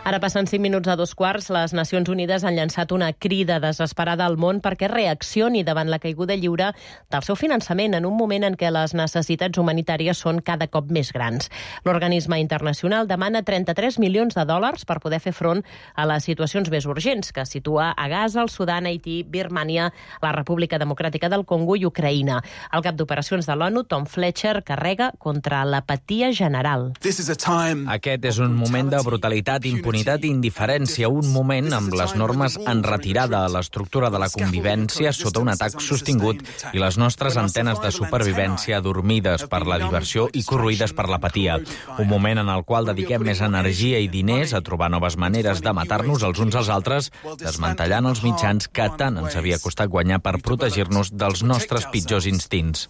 Speaker 4: Ara passen cinc minuts a dos quarts, les Nacions Unides han llançat una crida desesperada al món perquè reaccioni davant la caiguda lliure del seu finançament en un moment en què les necessitats humanitàries són cada cop més grans. L'organisme internacional demana trenta-tres milions de dòlars per poder fer front a les situacions més urgents, que situa a Gaza, el Sudan, Haití, Birmània, la República Democràtica del Congo i Ucraïna. El cap d'operacions de l'ONU, Tom Fletcher, carrega contra l'apatia general.
Speaker 6: Aquest és un moment de brutalitat, impunitat i indiferència, un moment amb les normes en retirada, l'estructura de la convivència sota un atac sostingut i les nostres antenes de supervivència adormides per la diversió i corroïdes per l'apatia. Un moment en el qual dediquem més energia i diners a trobar noves maneres de matar-nos els uns als altres, desmantellant els mitjans que tant ens havia costat guanyar per protegir-nos dels nostres pitjors instints.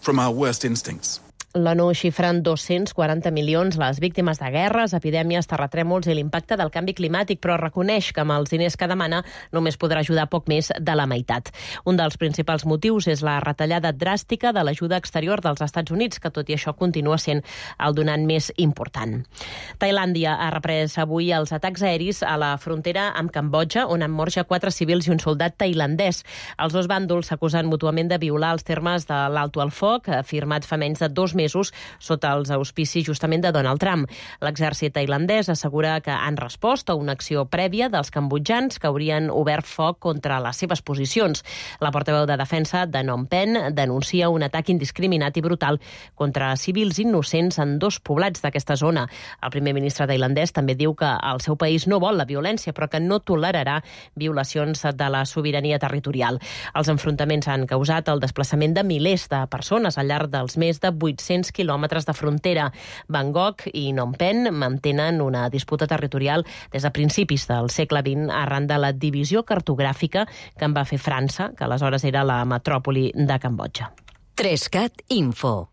Speaker 4: L'ONU xifra en dos-cents quaranta milions les víctimes de guerres, epidèmies, terratrèmols i l'impacte del canvi climàtic, però reconeix que amb els diners que demana només podrà ajudar poc més de la meitat. Un dels principals motius és la retallada dràstica de l'ajuda exterior dels Estats Units, que tot i això continua sent el donant més important. Tailàndia ha reprès avui els atacs aeris a la frontera amb Cambodja, on han mort ja quatre civils i un soldat tailandès. Els dos bàndols s'acusen mútuament de violar els termes de l'alto al foc, firmat fa menys de dos mesos sota els auspicis justament de Donald Trump. L'exèrcit tailandès assegura que han respost a una acció prèvia dels cambodjans que haurien obert foc contra les seves posicions. La portaveu de defensa de Phnom Penh denuncia un atac indiscriminat i brutal contra civils innocents en dos poblats d'aquesta zona. El primer ministre tailandès també diu que el seu país no vol la violència, però que no tolerarà violacions de la sobirania territorial. Els enfrontaments han causat el desplaçament de milers de persones al llarg dels més de vuit-cents quilòmetres de frontera. Bangkok i Phnom Penh mantenen una disputa territorial des de principis del segle vint arran de la divisió cartogràfica que en va fer França, que aleshores era la metròpoli de Cambodja.
Speaker 5: Trescat Info.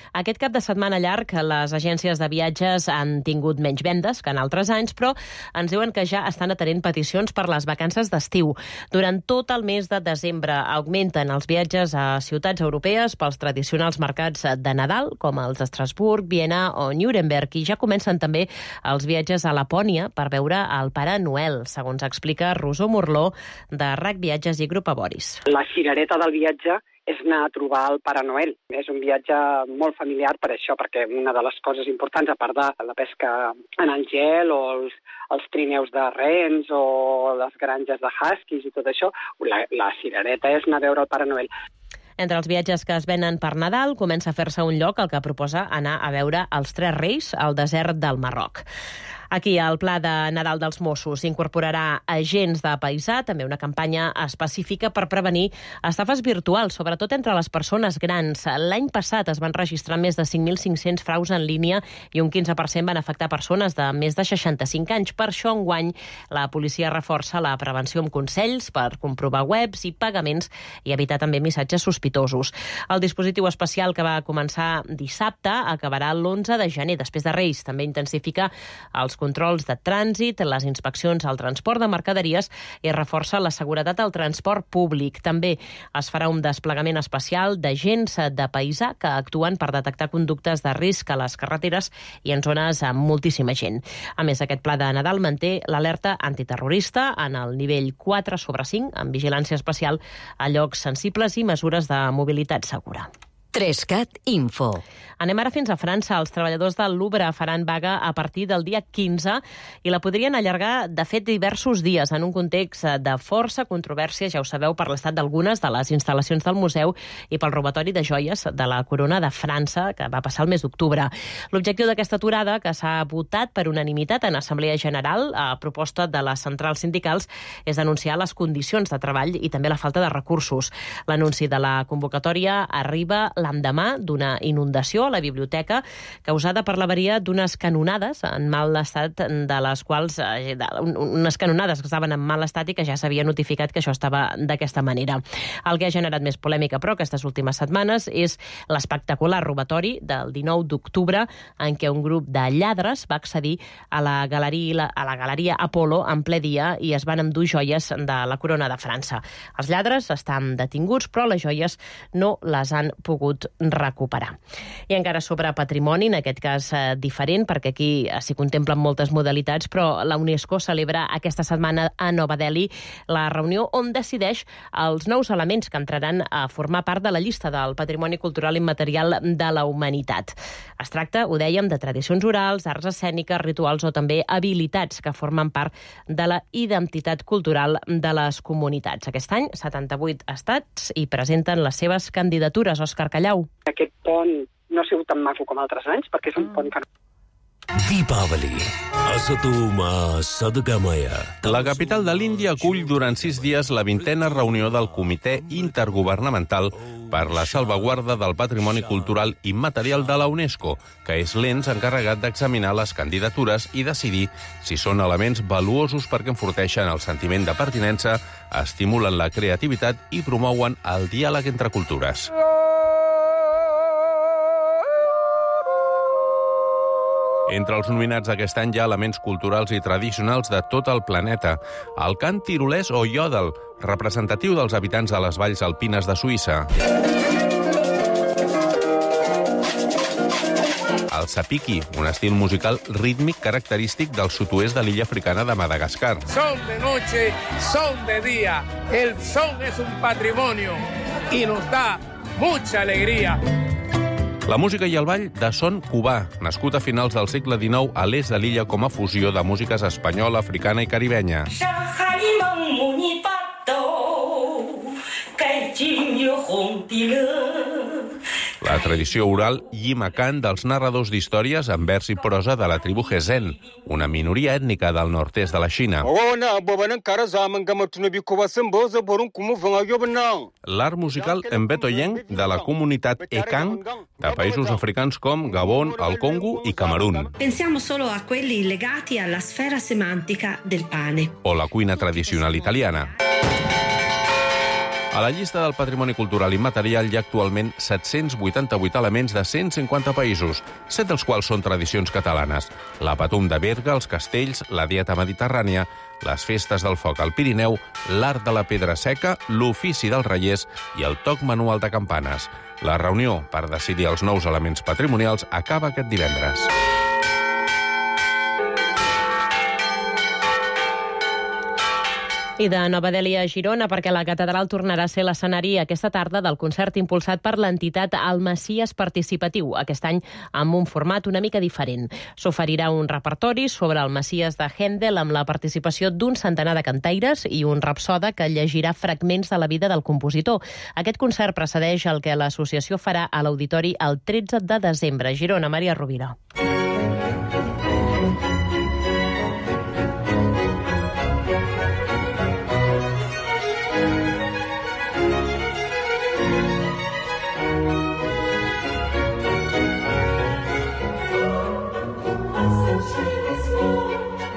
Speaker 4: Aquest cap de setmana llarg, les agències de viatges han tingut menys vendes que en altres anys, però ens diuen que ja estan atenent peticions per les vacances d'estiu. Durant tot el mes de desembre augmenten els viatges a ciutats europees pels tradicionals mercats de Nadal, com els d'Estrasburg, Viena o Nuremberg, i ja comencen també els viatges a Lapònia per veure el Pare Noel, segons explica Rosó Morló, de R A C Viatges i Grup Aboris.
Speaker 23: La cirereta del viatge és anar a trobar el Pare Noel. És un viatge molt familiar per això, perquè una de les coses importants, a part de la pesca en el gel o els, els trineus de rens o les granges de huskies i tot això, la, la cirereta és anar a veure el Pare Noel.
Speaker 4: Entre els viatges que es venen per Nadal, comença a fer-se un lloc el que proposa anar a veure els Tres Reis al desert del Marroc. Aquí, al Pla de Nadal dels Mossos incorporarà agents de paisà, també una campanya específica per prevenir estafes virtuals, sobretot entre les persones grans. L'any passat es van registrar més de cinc mil cinc-cents fraus en línia i un quinze per cent van afectar persones de més de seixanta-cinc anys. Per això, enguany, la policia reforça la prevenció amb consells per comprovar webs i pagaments i evitar també missatges sospitosos. El dispositiu especial que va començar dissabte acabarà l'onze de gener, després de Reis. També intensifica els controls de trànsit, les inspeccions al transport de mercaderies i reforça la seguretat al transport públic. També es farà un desplegament especial d'agents de paisà que actuen per detectar conductes de risc a les carreteres i en zones amb moltíssima gent. A més, aquest pla de Nadal manté l'alerta antiterrorista en el nivell quatre sobre cinc, amb vigilància especial a llocs sensibles i mesures de mobilitat segura.
Speaker 5: Trescat Info.
Speaker 4: Anem ara fins a França. Els treballadors del Louvre faran vaga a partir del dia quinze i la podrien allargar, de fet, diversos dies en un context de força controvèrsia, ja ho sabeu, per l'estat d'algunes de les instal·lacions del museu i pel robatori de joies de la corona de França, que va passar el mes d'octubre. L'objectiu d'aquesta aturada, que s'ha votat per unanimitat en Assemblea General a proposta de les centrals sindicals, és denunciar les condicions de treball i també la falta de recursos. L'anunci de la convocatòria arriba l'endemà d'una inundació a la biblioteca causada per l'avaria d'unes canonades en mal estat, de les quals eh, unes canonades que estaven en mal estat i que ja s'havia notificat que això estava d'aquesta manera. El que ha generat més polèmica, però, aquestes últimes setmanes és l'espectacular robatori del dinou d'octubre en què un grup de lladres va accedir a la galeria, a la galeria Apolo en ple dia i es van endur joies de la corona de França. Els lladres estan detinguts, però les joies no les han pogut recuperar. I encara sobre patrimoni, en aquest cas eh, diferent, perquè aquí s'hi contemplen moltes modalitats, però la UNESCO celebra aquesta setmana a Nova Delhi la reunió on decideix els nous elements que entraran a formar part de la llista del patrimoni cultural immaterial de la humanitat. Es tracta, ho dèiem, de tradicions orals, arts escèniques, rituals o també habilitats que formen part de la identitat cultural de les comunitats. Aquest any, setanta-vuit estats hi presenten les seves candidatures. Òscar Callau.
Speaker 23: Aquest pont no ha sigut tan maco com altres anys, perquè és un pont que...
Speaker 7: Deepavali. Asatoma Sadgamaya.
Speaker 12: La capital de l'Índia acull durant sis dies la vintena reunió del Comitè Intergovernamental per la salvaguarda del patrimoni cultural immaterial de la UNESCO, que és l'ens encarregat d'examinar les candidatures i decidir si són elements valuosos perquè enforteixen el sentiment de pertinença, estimulen la creativitat i promouen el diàleg entre cultures. Entre els nominats d'aquest any hi ha elements culturals i tradicionals de tot el planeta. El cant tirolès o yodel, representatiu dels habitants de les valls alpines de Suïssa. El sapiki, un estil musical rítmic característic del sud-oest de l'illa africana de Madagascar.
Speaker 8: Son de noche, son de día. El son es un patrimonio y nos da mucha alegría.
Speaker 12: La música i el ball de son cubà, nascut a finals del segle dinou a l'est de l'illa com a fusió de músiques espanyola, africana i caribenya. La tradició oral Yimacan dels narradors d'històries en vers i prosa de la tribu Hezen, una minoria ètnica del nord-est de la Xina. L'art musical mbetoyeng de la comunitat Ekang de països africans com Gabon, el Congo i Camerun.
Speaker 9: Pensiamo solo a quelli legati alla sfera semantica del pane.
Speaker 12: O la cuina tradicional italiana. A la llista del patrimoni cultural immaterial hi ha actualment set-cents vuitanta-vuit elements de cent cinquanta països, set dels quals són tradicions catalanes. La Patum de Berga, els castells, la dieta mediterrània, les festes del foc al Pirineu, l'art de la pedra seca, l'ofici dels reiers i el toc manual de campanes. La reunió per decidir els nous elements patrimonials acaba aquest divendres.
Speaker 4: I de Nova Delhi a Girona, perquè la catedral tornarà a ser l'escenari aquesta tarda del concert impulsat per l'entitat El Messies Participatiu, aquest any amb un format una mica diferent. S'oferirà un repertori sobre el Messies de Händel amb la participació d'un centenar de cantaires i un rapsoda que llegirà fragments de la vida del compositor. Aquest concert precedeix el que l'associació farà a l'auditori el tretze de desembre. Girona, Maria Rovira.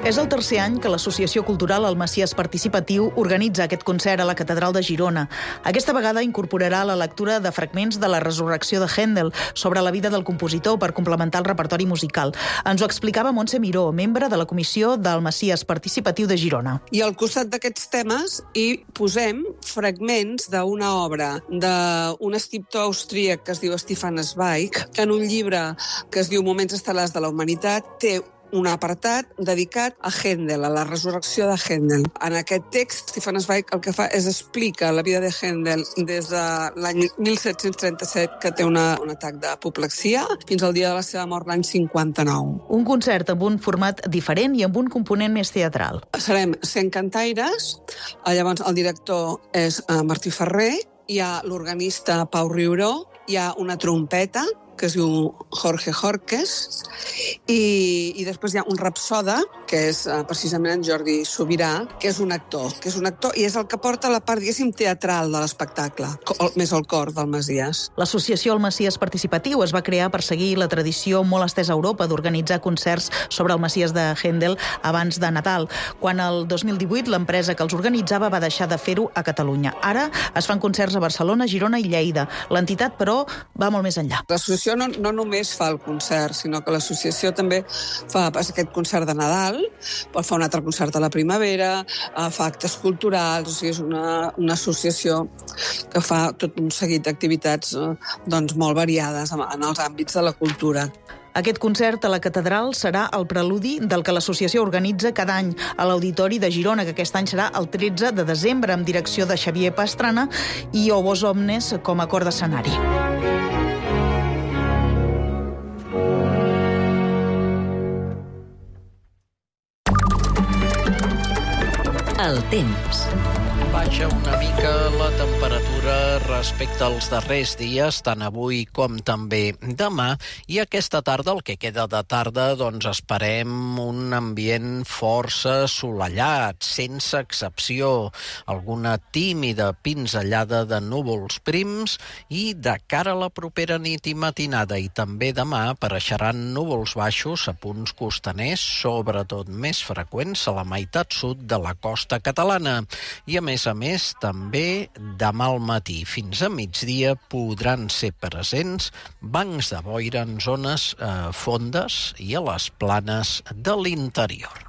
Speaker 11: És el tercer any que l'Associació Cultural El Messies Participatiu organitza aquest concert a la Catedral de Girona. Aquesta vegada incorporarà la lectura de fragments de la Resurrecció de Händel sobre la vida del compositor per complementar el repertori musical. Ens ho explicava Montse Miró, membre de la Comissió del Messies Participatiu de Girona.
Speaker 13: I al costat d'aquests temes hi posem fragments d'una obra d'un escriptor austríac que es diu Stefan Zweig, que en un llibre que es diu Moments estel·lars de la humanitat té un apartat dedicat a Händel, a la resurrecció de Händel. En aquest text, Stefan Zweig el que fa és explica la vida de Händel des de l'any mil set-cents trenta-set, que té una, un atac d'apoplexia, fins al dia de la seva mort l'any cinquanta-nou.
Speaker 11: Un concert amb un format diferent i amb un component més teatral.
Speaker 13: Serem cent cantaires, llavors el director és Martí Ferrer, hi ha l'organista Pau Riuró, hi ha una trompeta, que es diu Jorge Jorques, i, i després hi ha un rapsoda, que és uh, precisament en Jordi Sobirà, que és un actor, que és un actor i és el que porta la part, diguéssim, teatral de l'espectacle, més el cor del Messies.
Speaker 11: L'Associació El Messies Participatiu es va crear per seguir la tradició molt estesa a Europa d'organitzar concerts sobre el Messies de Händel abans de Nadal, quan el dos mil divuit l'empresa que els organitzava va deixar de fer-ho a Catalunya. Ara es fan concerts a Barcelona, Girona i Lleida. L'entitat, però, va molt més enllà.
Speaker 13: L'associació no, no només fa el concert, sinó que l'associació també fa aquest concert de Nadal, pot fer un altre concert a la primavera, fa actes culturals, o sigui, és una, una associació que fa tot un seguit d'activitats doncs, molt variades en els àmbits de la cultura.
Speaker 11: Aquest concert a la Catedral serà el preludi del que l'associació organitza cada any a l'Auditori de Girona, que aquest any serà el tretze de desembre, amb direcció de Xavier Pastrana i Obos Omnes com a cor d'escenari.
Speaker 5: El temps.
Speaker 15: Baixa una mica la temperatura respecte als darrers dies, tant avui com també demà, i aquesta tarda, el que queda de tarda, doncs esperem un ambient força assolellat, sense excepció, alguna tímida pinzellada de núvols prims, i de cara a la propera nit i matinada i també demà apareixeran núvols baixos a punts costaners, sobretot més freqüents a la meitat sud de la costa catalana, i a més a més, també demà al matí fins a migdia podran ser presents bancs de boira en zones eh, fondes i a les planes de l'interior.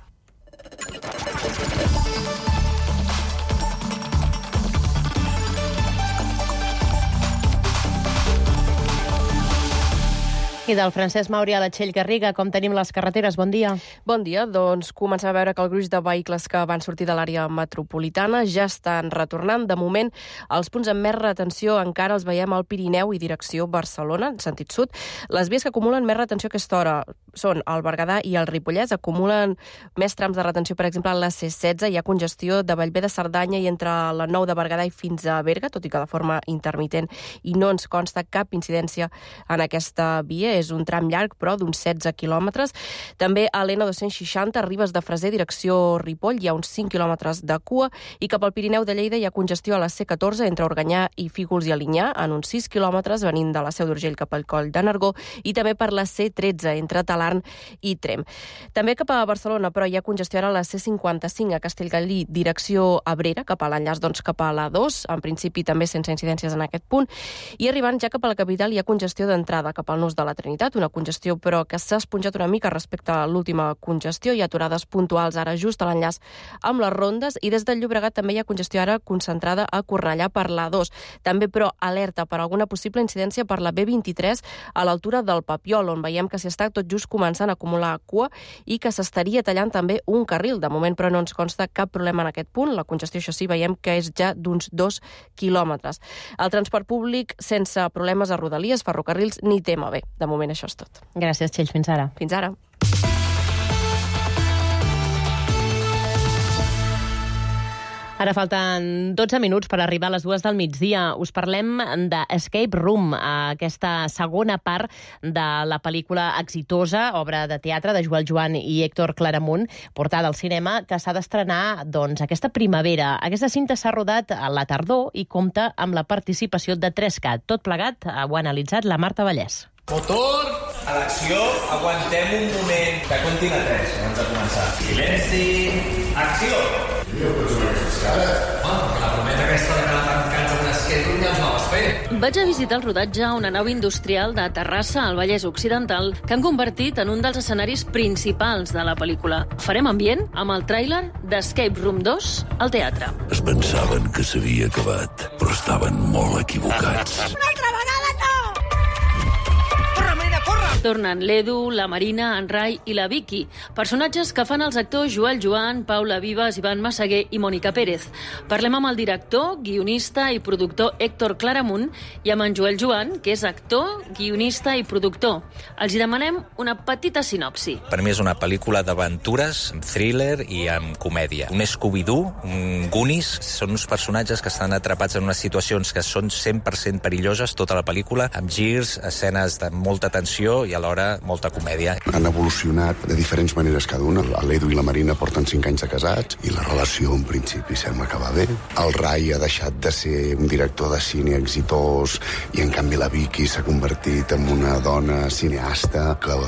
Speaker 4: I del Francesc Mauri a la Txell Garriga, com tenim les carreteres? Bon dia.
Speaker 10: Bon dia. Doncs comencem a veure que el gruix de vehicles que van sortir de l'àrea metropolitana ja estan retornant. De moment, els punts amb més retenció encara els veiem al Pirineu i direcció Barcelona, en sentit sud. Les vies que acumulen més retenció a aquesta hora són el Berguedà i el Ripollès. Acumulen més trams de retenció, per exemple, a la C setze. Hi ha congestió de Bellver de Cerdanya i entre la nou de Berguedà i fins a Berga, tot i que de forma intermitent, i no ens consta cap incidència en aquesta via. És un tram llarg, però d'uns setze quilòmetres. També a l'N dos-cents seixanta, Ribes de Freser, direcció Ripoll, hi ha uns cinc quilòmetres de cua, i cap al Pirineu de Lleida hi ha congestió a la C catorze entre Organyà i Fígols i Alinyà, en uns sis quilòmetres, venint de la Seu d'Urgell cap al Coll de Nargó, i també per la C tretze entre Talarn i Trem. També cap a Barcelona, però hi ha congestió ara a la C cinquanta-cinc a Castellgalí, direcció Abrera, cap a l'enllaç doncs, cap a la dos, en principi també sense incidències en aquest punt, i arribant ja cap a la capital hi ha congestió d'entrada cap al nus de la Trinitat, una congestió però que s'ha esponjat una mica respecte a l'última congestió. Hi ha aturades puntuals ara just a l'enllaç amb les rondes, i des del Llobregat també hi ha congestió ara concentrada a Cornellà per la dos. També, però, alerta per alguna possible incidència per la B vint-i-tres a l'altura del Papiol, on veiem que s'hi està tot just començant a acumular cua i que s'estaria tallant també un carril. De moment, però, no ens consta cap problema en aquest punt. La congestió, això sí, veiem que és ja d'uns dos quilòmetres. El transport públic sense problemes a Rodalies, ferrocarrils, ni tema bé. De moment, això és tot.
Speaker 4: Gràcies, Txell. Fins ara.
Speaker 10: Fins ara.
Speaker 4: Ara falten dotze minuts per arribar a les dues del migdia. Us parlem de Escape Room, aquesta segona part de la pel·lícula exitosa, obra de teatre de Joel Joan i Héctor Claramunt, portada al cinema, que s'ha d'estrenar doncs, aquesta primavera. Aquesta cinta s'ha rodat a la tardor i compta amb la participació de tres cat. Tot plegat ho ha analitzat la Marta Vallès.
Speaker 14: Motor, a l'acció, aguantem un moment. Que comptin a tres, abans de començar. Silenci, acció! Jo pots veure aquestes cares? Home, la promesa aquesta de quedar tancats amb un esquerdo ja ens la vas fer.
Speaker 16: Vaig a visitar el rodatge a una nau industrial de Terrassa, al Vallès Occidental, que han convertit en un dels escenaris principals de la pel·lícula. Farem ambient amb el tràiler d'Escape Room dos al teatre.
Speaker 7: Es pensaven que s'havia acabat, però estaven molt equivocats.
Speaker 16: Una altra vegada no! Tornen l'Edu, la Marina, en Rai i la Vicky, personatges que fan els actors Joel Joan, Paula Vives, Ivan Massaguer i Mònica Pérez. Parlem amb el director, guionista i productor Héctor Claramunt i amb en Joel Joan, que és actor, guionista i productor. Els hi demanem una petita sinopsi.
Speaker 6: Per mi és una pel·lícula d'aventures, amb thriller i amb comèdia. Un Scooby-Doo, un Goonies, són uns personatges que estan atrapats en unes situacions que són cent per cent perilloses, tota la pel·lícula, amb girs, escenes de molta tensió i i alhora molta comèdia.
Speaker 18: Han evolucionat de diferents maneres cada una. L'Edu i la Marina porten cinc anys de casats i la relació en principi sembla que va bé. El Rai ha deixat de ser un director de cine exitós i en canvi la Vicky s'ha convertit en una dona cineasta que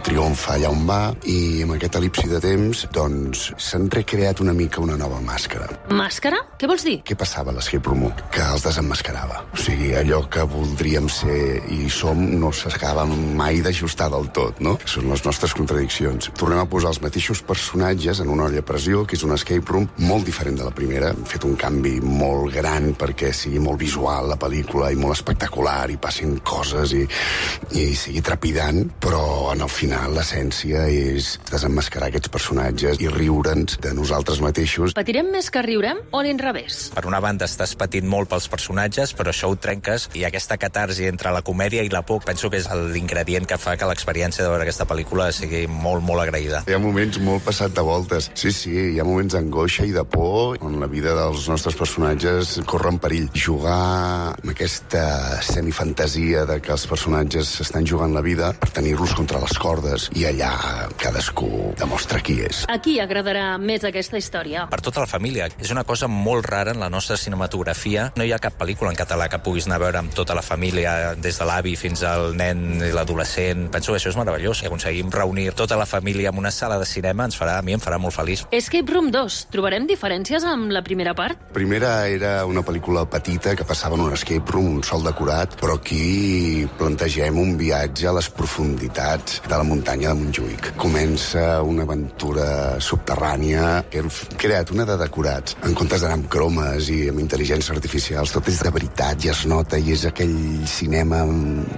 Speaker 18: triomfa allà on va i amb aquest elipsi de temps doncs s'han recreat una mica una nova màscara.
Speaker 16: Màscara? Què vols dir?
Speaker 18: Què passava a l'Escape Room? Que els desemmascarava. O sigui, allò que voldríem ser i som no s'acaba mai de ajustar del tot, no? Són les nostres contradiccions. Tornem a posar els mateixos personatges en una olla a pressió, que és un escape room molt diferent de la primera. Hem fet un canvi molt gran perquè sigui molt visual la pel·lícula i molt espectacular i passin coses i, i sigui trepidant, però en el final l'essència és desemmascarar aquests personatges i riure'ns de nosaltres mateixos.
Speaker 16: Patirem més que riurem o a l'inrevés?
Speaker 6: Per una banda estàs patint molt pels personatges, però això ho trenques i aquesta catarsi entre la comèdia i la por penso que és l'ingredient que fa que l'experiència de veure aquesta pel·lícula sigui molt, molt agraïda.
Speaker 18: Hi ha moments molt passat de voltes. Sí, sí, hi ha moments d'angoixa i de por on la vida dels nostres personatges corre en perill. Jugar amb aquesta semifantasia de que els personatges s'estan jugant la vida per tenir-los contra les cordes i allà cadascú demostra qui és.
Speaker 16: A qui agradarà més aquesta història?
Speaker 6: Per tota la família. És una cosa molt rara en la nostra cinematografia. No hi ha cap pel·lícula en català que puguis anar a veure amb tota la família, des de l'avi fins al nen i l'adolescent. Penso que això és meravellós. Si aconseguim reunir tota la família en una sala de cinema, ens farà, a mi em farà molt feliç.
Speaker 16: Escape Room dos. Trobarem diferències amb la primera part?
Speaker 18: Primera era una pel·lícula petita que passava en un escape room, un sol decorat, però aquí plantegem un viatge a les profunditats de la muntanya de Montjuïc. Comença una aventura subterrània que hem creat una de decorats. En comptes d'anar amb cromes i amb intel·ligències artificials, tot és de veritat i es nota i és aquell cinema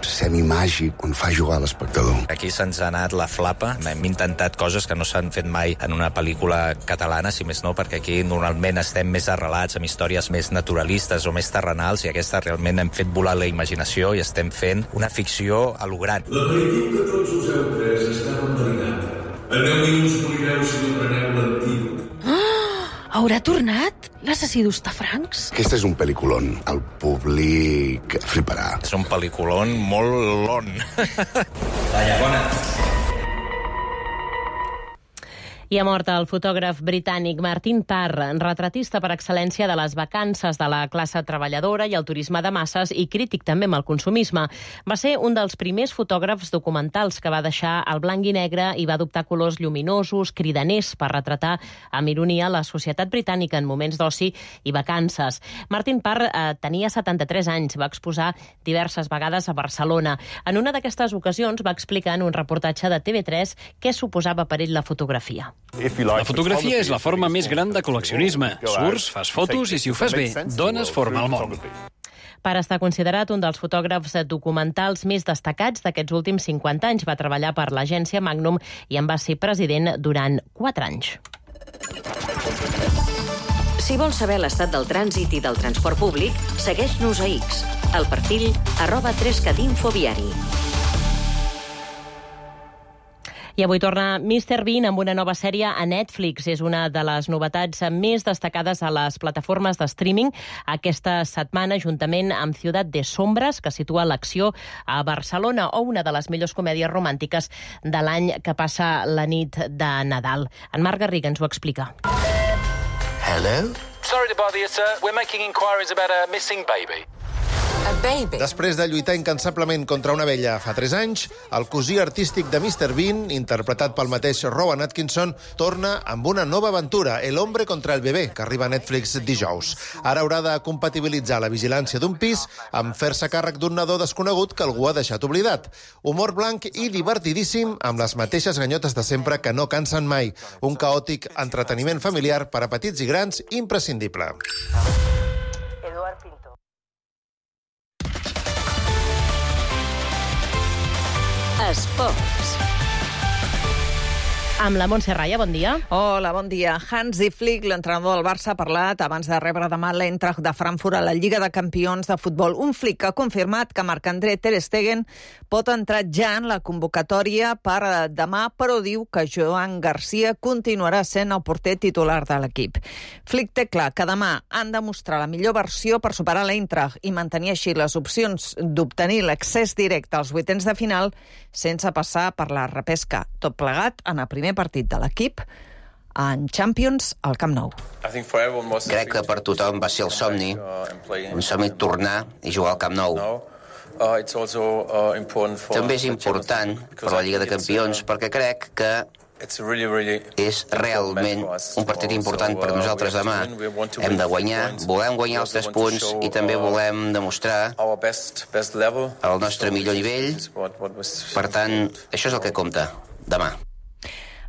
Speaker 18: semimàgic on fa jugar l'espectador.
Speaker 6: Aquí se'ns ha anat la flapa. Hem intentat coses que no s'han fet mai en una pel·lícula catalana, si més no, perquè aquí normalment estem més arrelats amb històries més naturalistes o més terrenals i aquesta realment hem fet volar la imaginació i estem fent una ficció a lo gran.
Speaker 7: L'aperitiu que tots us heu pres estava enverinat. En deu minuts morireu si no preneu l'antídot.
Speaker 16: Haurà tornat l'assassí d'Hostafrancs?
Speaker 18: Aquest és un pel·lículon. El públic fliparà.
Speaker 6: És un pel·lículon molt lon.
Speaker 1: Talla, bona.
Speaker 4: I ha mort el fotògraf britànic Martin Parr, retratista per excel·lència de les vacances de la classe treballadora i el turisme de masses i crític també amb el consumisme. Va ser un dels primers fotògrafs documentals que va deixar el blanc i negre i va adoptar colors lluminosos, cridaners, per retratar amb ironia la societat britànica en moments d'oci i vacances. Martin Parr eh, tenia setanta-tres anys, va exposar diverses vegades a Barcelona. En una d'aquestes ocasions va explicar en un reportatge de T V tres què suposava per ell la fotografia.
Speaker 24: La fotografia és la forma més gran de col·leccionisme. Surts, fas fotos i, si ho fas bé, dones forma al món.
Speaker 4: Parr està considerat un dels fotògrafs documentals més destacats d'aquests últims cinquanta anys. Va treballar per l'agència Magnum i en va ser president durant quatre anys.
Speaker 5: Si vols saber l'estat del trànsit i del transport públic, segueix-nos a X, al perfil arroba tres cat info viari.
Speaker 4: I avui torna míster Bean amb una nova sèrie a Netflix. És una de les novetats més destacades a les plataformes de streaming aquesta setmana, juntament amb Ciutat de Sombras, que situa l'acció a Barcelona, o una de les millors comèdies romàntiques de l'any que passa la nit de Nadal. En Marc Garriga ens ho explica.
Speaker 25: Hello? Sorry to bother you, sir. We're making inquiries about a missing baby.
Speaker 5: A
Speaker 3: baby.
Speaker 19: Després de lluitar incansablement contra una vella fa tres anys, el cosí artístic de mister Bean, interpretat pel mateix Rowan Atkinson, torna amb una nova aventura, El hombre contra el bebè, que arriba a Netflix dijous. Ara haurà de compatibilitzar la vigilància d'un pis amb fer-se càrrec d'un nadó desconegut que algú ha deixat oblidat. Humor blanc i divertidíssim, amb les mateixes ganyotes de sempre que no cansen mai. Un caòtic entreteniment familiar per a petits i grans imprescindible.
Speaker 3: Eduard Pinto.
Speaker 5: Esports.
Speaker 4: Amb la Montse Raya, bon dia.
Speaker 17: Hola, bon dia. Hansi Flick, l'entrenador del Barça, ha parlat abans de rebre demà l'Eintracht de Frankfurt a la Lliga de Campions de futbol. Un Flick que ha confirmat que Marc-André Ter Stegen pot entrar ja en la convocatòria per demà, però diu que Joan Garcia continuarà sent el porter titular de l'equip. Flick té clar que demà han de mostrar la millor versió per superar l'Eintracht i mantenir així les opcions d'obtenir l'accés directe als vuitens de final sense passar per la repesca. Tot plegat en el primer partit de l'equip en Champions al Camp Nou.
Speaker 20: Crec que per tothom va ser el somni, un somni tornar i jugar al Camp Nou. També és important per la Lliga de Campions perquè crec que és realment un partit important per nosaltres demà. Hem de guanyar, volem guanyar els tres punts i també volem demostrar el nostre millor nivell. Per tant, això és el que compta demà.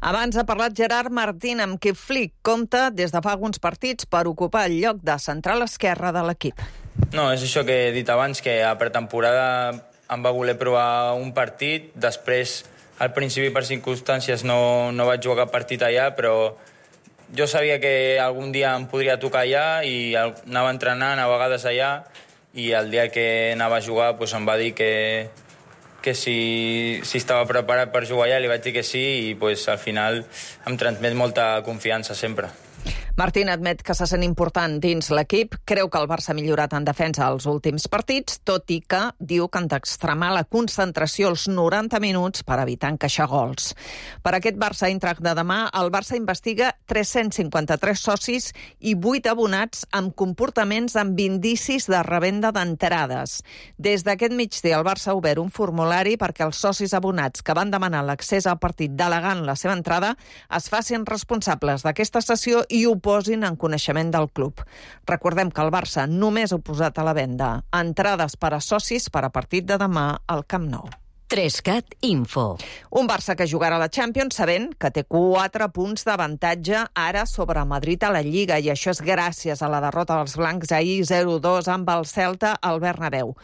Speaker 17: Abans ha parlat Gerard Martín, amb qui Flick compta des de fa alguns partits per ocupar el lloc de central esquerra de l'equip.
Speaker 21: No, és això que he dit abans, que a pretemporada em va voler provar un partit, després al principi per circumstàncies no, no vaig jugar cap partit allà, però jo sabia que algun dia em podria tocar allà i anava entrenant a vegades allà i el dia que anava a jugar pues, em va dir que que si, si estava preparat per jugar allà, li vaig dir que sí i pues, al final em transmet molta confiança sempre.
Speaker 17: Martín admet que se sent important dins l'equip, creu que el Barça ha millorat en defensa als últims partits, tot i que diu que han d'extremar la concentració als noranta minuts per evitar encaixar gols. Per aquest Barça-Eintracht de demà, el Barça investiga tres-cents cinquanta-tres socis i vuit abonats amb comportaments amb indicis de revenda d'entrades. Des d'aquest migdia, el Barça ha obert un formulari perquè els socis abonats que van demanar l'accés al partit delegant la seva entrada es facin responsables d'aquesta sessió i ho posin en coneixement del club. Recordem que el Barça només ha posat a la venda entrades per a socis per a partit de demà al Camp Nou.
Speaker 5: Trescat Info.
Speaker 17: Un Barça que jugarà a la Champions sabent que té quatre punts d'avantatge ara sobre Madrid a la Lliga i això és gràcies a la derrota dels blancs ahir zero dos amb el Celta al Bernabéu.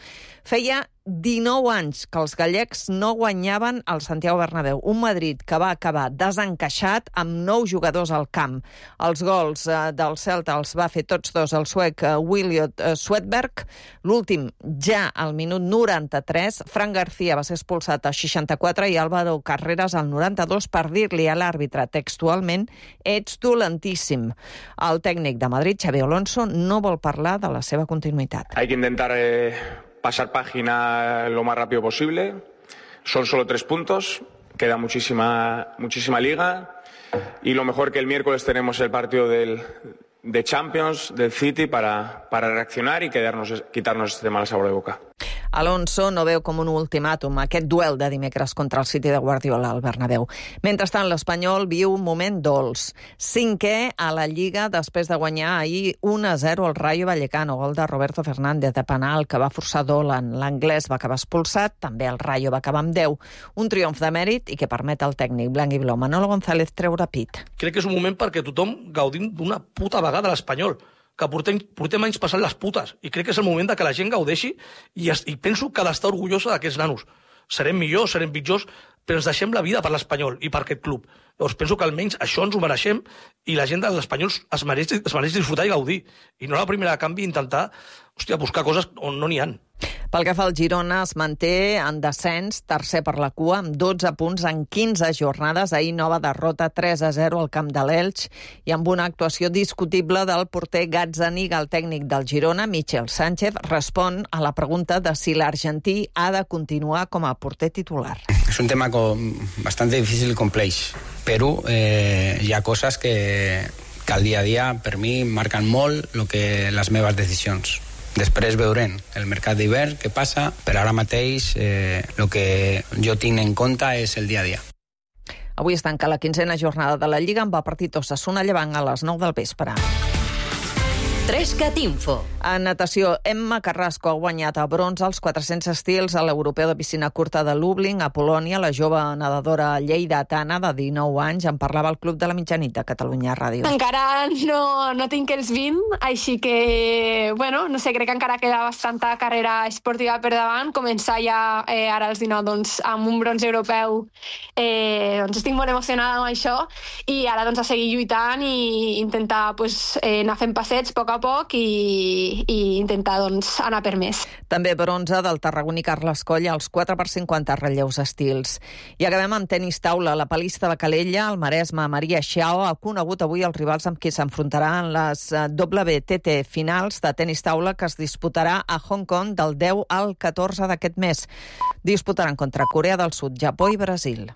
Speaker 17: Feia dinou anys que els gallecs no guanyaven al Santiago Bernabéu. Un Madrid que va acabar desencaixat amb nou jugadors al camp. Els gols eh, del Celta els va fer tots dos el suec eh, Williot eh, Swedberg. L'últim ja al minut noranta-tres. Fran García va ser expulsat a seixanta-quatre i Álvaro Carreras al noranta-dos per dir-li a l'àrbitre textualment «Ets dolentíssim». El tècnic de Madrid, Xabi Alonso, no vol parlar de la seva continuïtat.
Speaker 25: Hay que intentar eh, pasar página lo más rápido posible. Son solo tres puntos, queda muchísima, muchísima liga y lo mejor que el miércoles tenemos el partido del, de Champions, del City, para, para reaccionar y quedarnos, quitarnos este mal sabor de boca.
Speaker 17: Alonso no veu com un ultimàtum aquest duel de dimecres contra el City de Guardiola al Bernabéu. Mentrestant, l'Espanyol viu un moment dolç. Cinquè a la Lliga després de guanyar ahir un a zero al Rayo Vallecano, gol de Roberto Fernández de penal que va forçar Dolan. L'anglès va acabar expulsat, també el Rayo va acabar amb deu. Un triomf de mèrit i que permet al tècnic blanc i blau Manolo González treure pit.
Speaker 26: Crec que és un moment perquè tothom gaudim d'una puta vegada a l'Espanyol, que portem, portem anys passant les putes, i crec que és el moment de que la gent gaudeixi i, es, i penso que ha d'estar orgullosa d'aquests nanos. Serem millors, serem pitjors, però ens deixem la vida per l'Espanyol i per aquest club. Llavors penso que almenys això ens ho mereixem i la gent de l'Espanyol es mereix, es mereix disfrutar i gaudir. I no la primera de canvi intentar hòstia, buscar coses on no n'hi ha.
Speaker 17: Pel que fa al Girona, es manté en descens, tercer per la cua, amb dotze punts en quinze jornades. Ahir nova derrota tres a zero al camp de l'Elx i amb una actuació discutible del porter Gazzaniga. El tècnic del Girona, Michel Sánchez, respon a la pregunta de si l'argentí ha de continuar com a porter titular.
Speaker 27: És un tema con bastante difícil i complex, però eh, hi ha coses que, que al dia a dia per mi marquen molt lo que les meves decisions. Després veurem el mercat d'hivern, què passa, però ara mateix eh, el que jo tinc en compte és el dia a dia.
Speaker 17: Avui es tanca la quinzena jornada de la Lliga amb el partit Osasuna Llevant a les nou del vespre.
Speaker 5: Trescat Info.
Speaker 17: En natació, Emma Carrasco ha guanyat a bronze als quatre-cents estils a l'Europeu de piscina curta de Lublin, a Polònia. La jove nedadora lleidatana de dinou anys en parlava al Club de la Mitjanit de Catalunya Ràdio.
Speaker 2: Encara no, no tinc els vint, així que, bueno, no sé, crec que encara queda bastanta carrera esportiva per davant. Començar ja eh, ara als dinou doncs, amb un bronze europeu, eh, doncs estic molt emocionada amb això, i ara doncs, a seguir lluitant i intentar pues, eh, anar fent passets a poc a poc i, i intentar doncs, anar per més.
Speaker 17: També bronze del tarragoní Carles Coll als quatre per cinquanta relleus estils. I acabem amb tenis taula. La palista de Calella, el Maresme, Maria Xiao, ha conegut avui els rivals amb qui s'enfrontarà en les W T T finals de tenis taula que es disputarà a Hong Kong del deu al catorze d'aquest mes. Disputaran contra Corea del Sud, Japó i Brasil.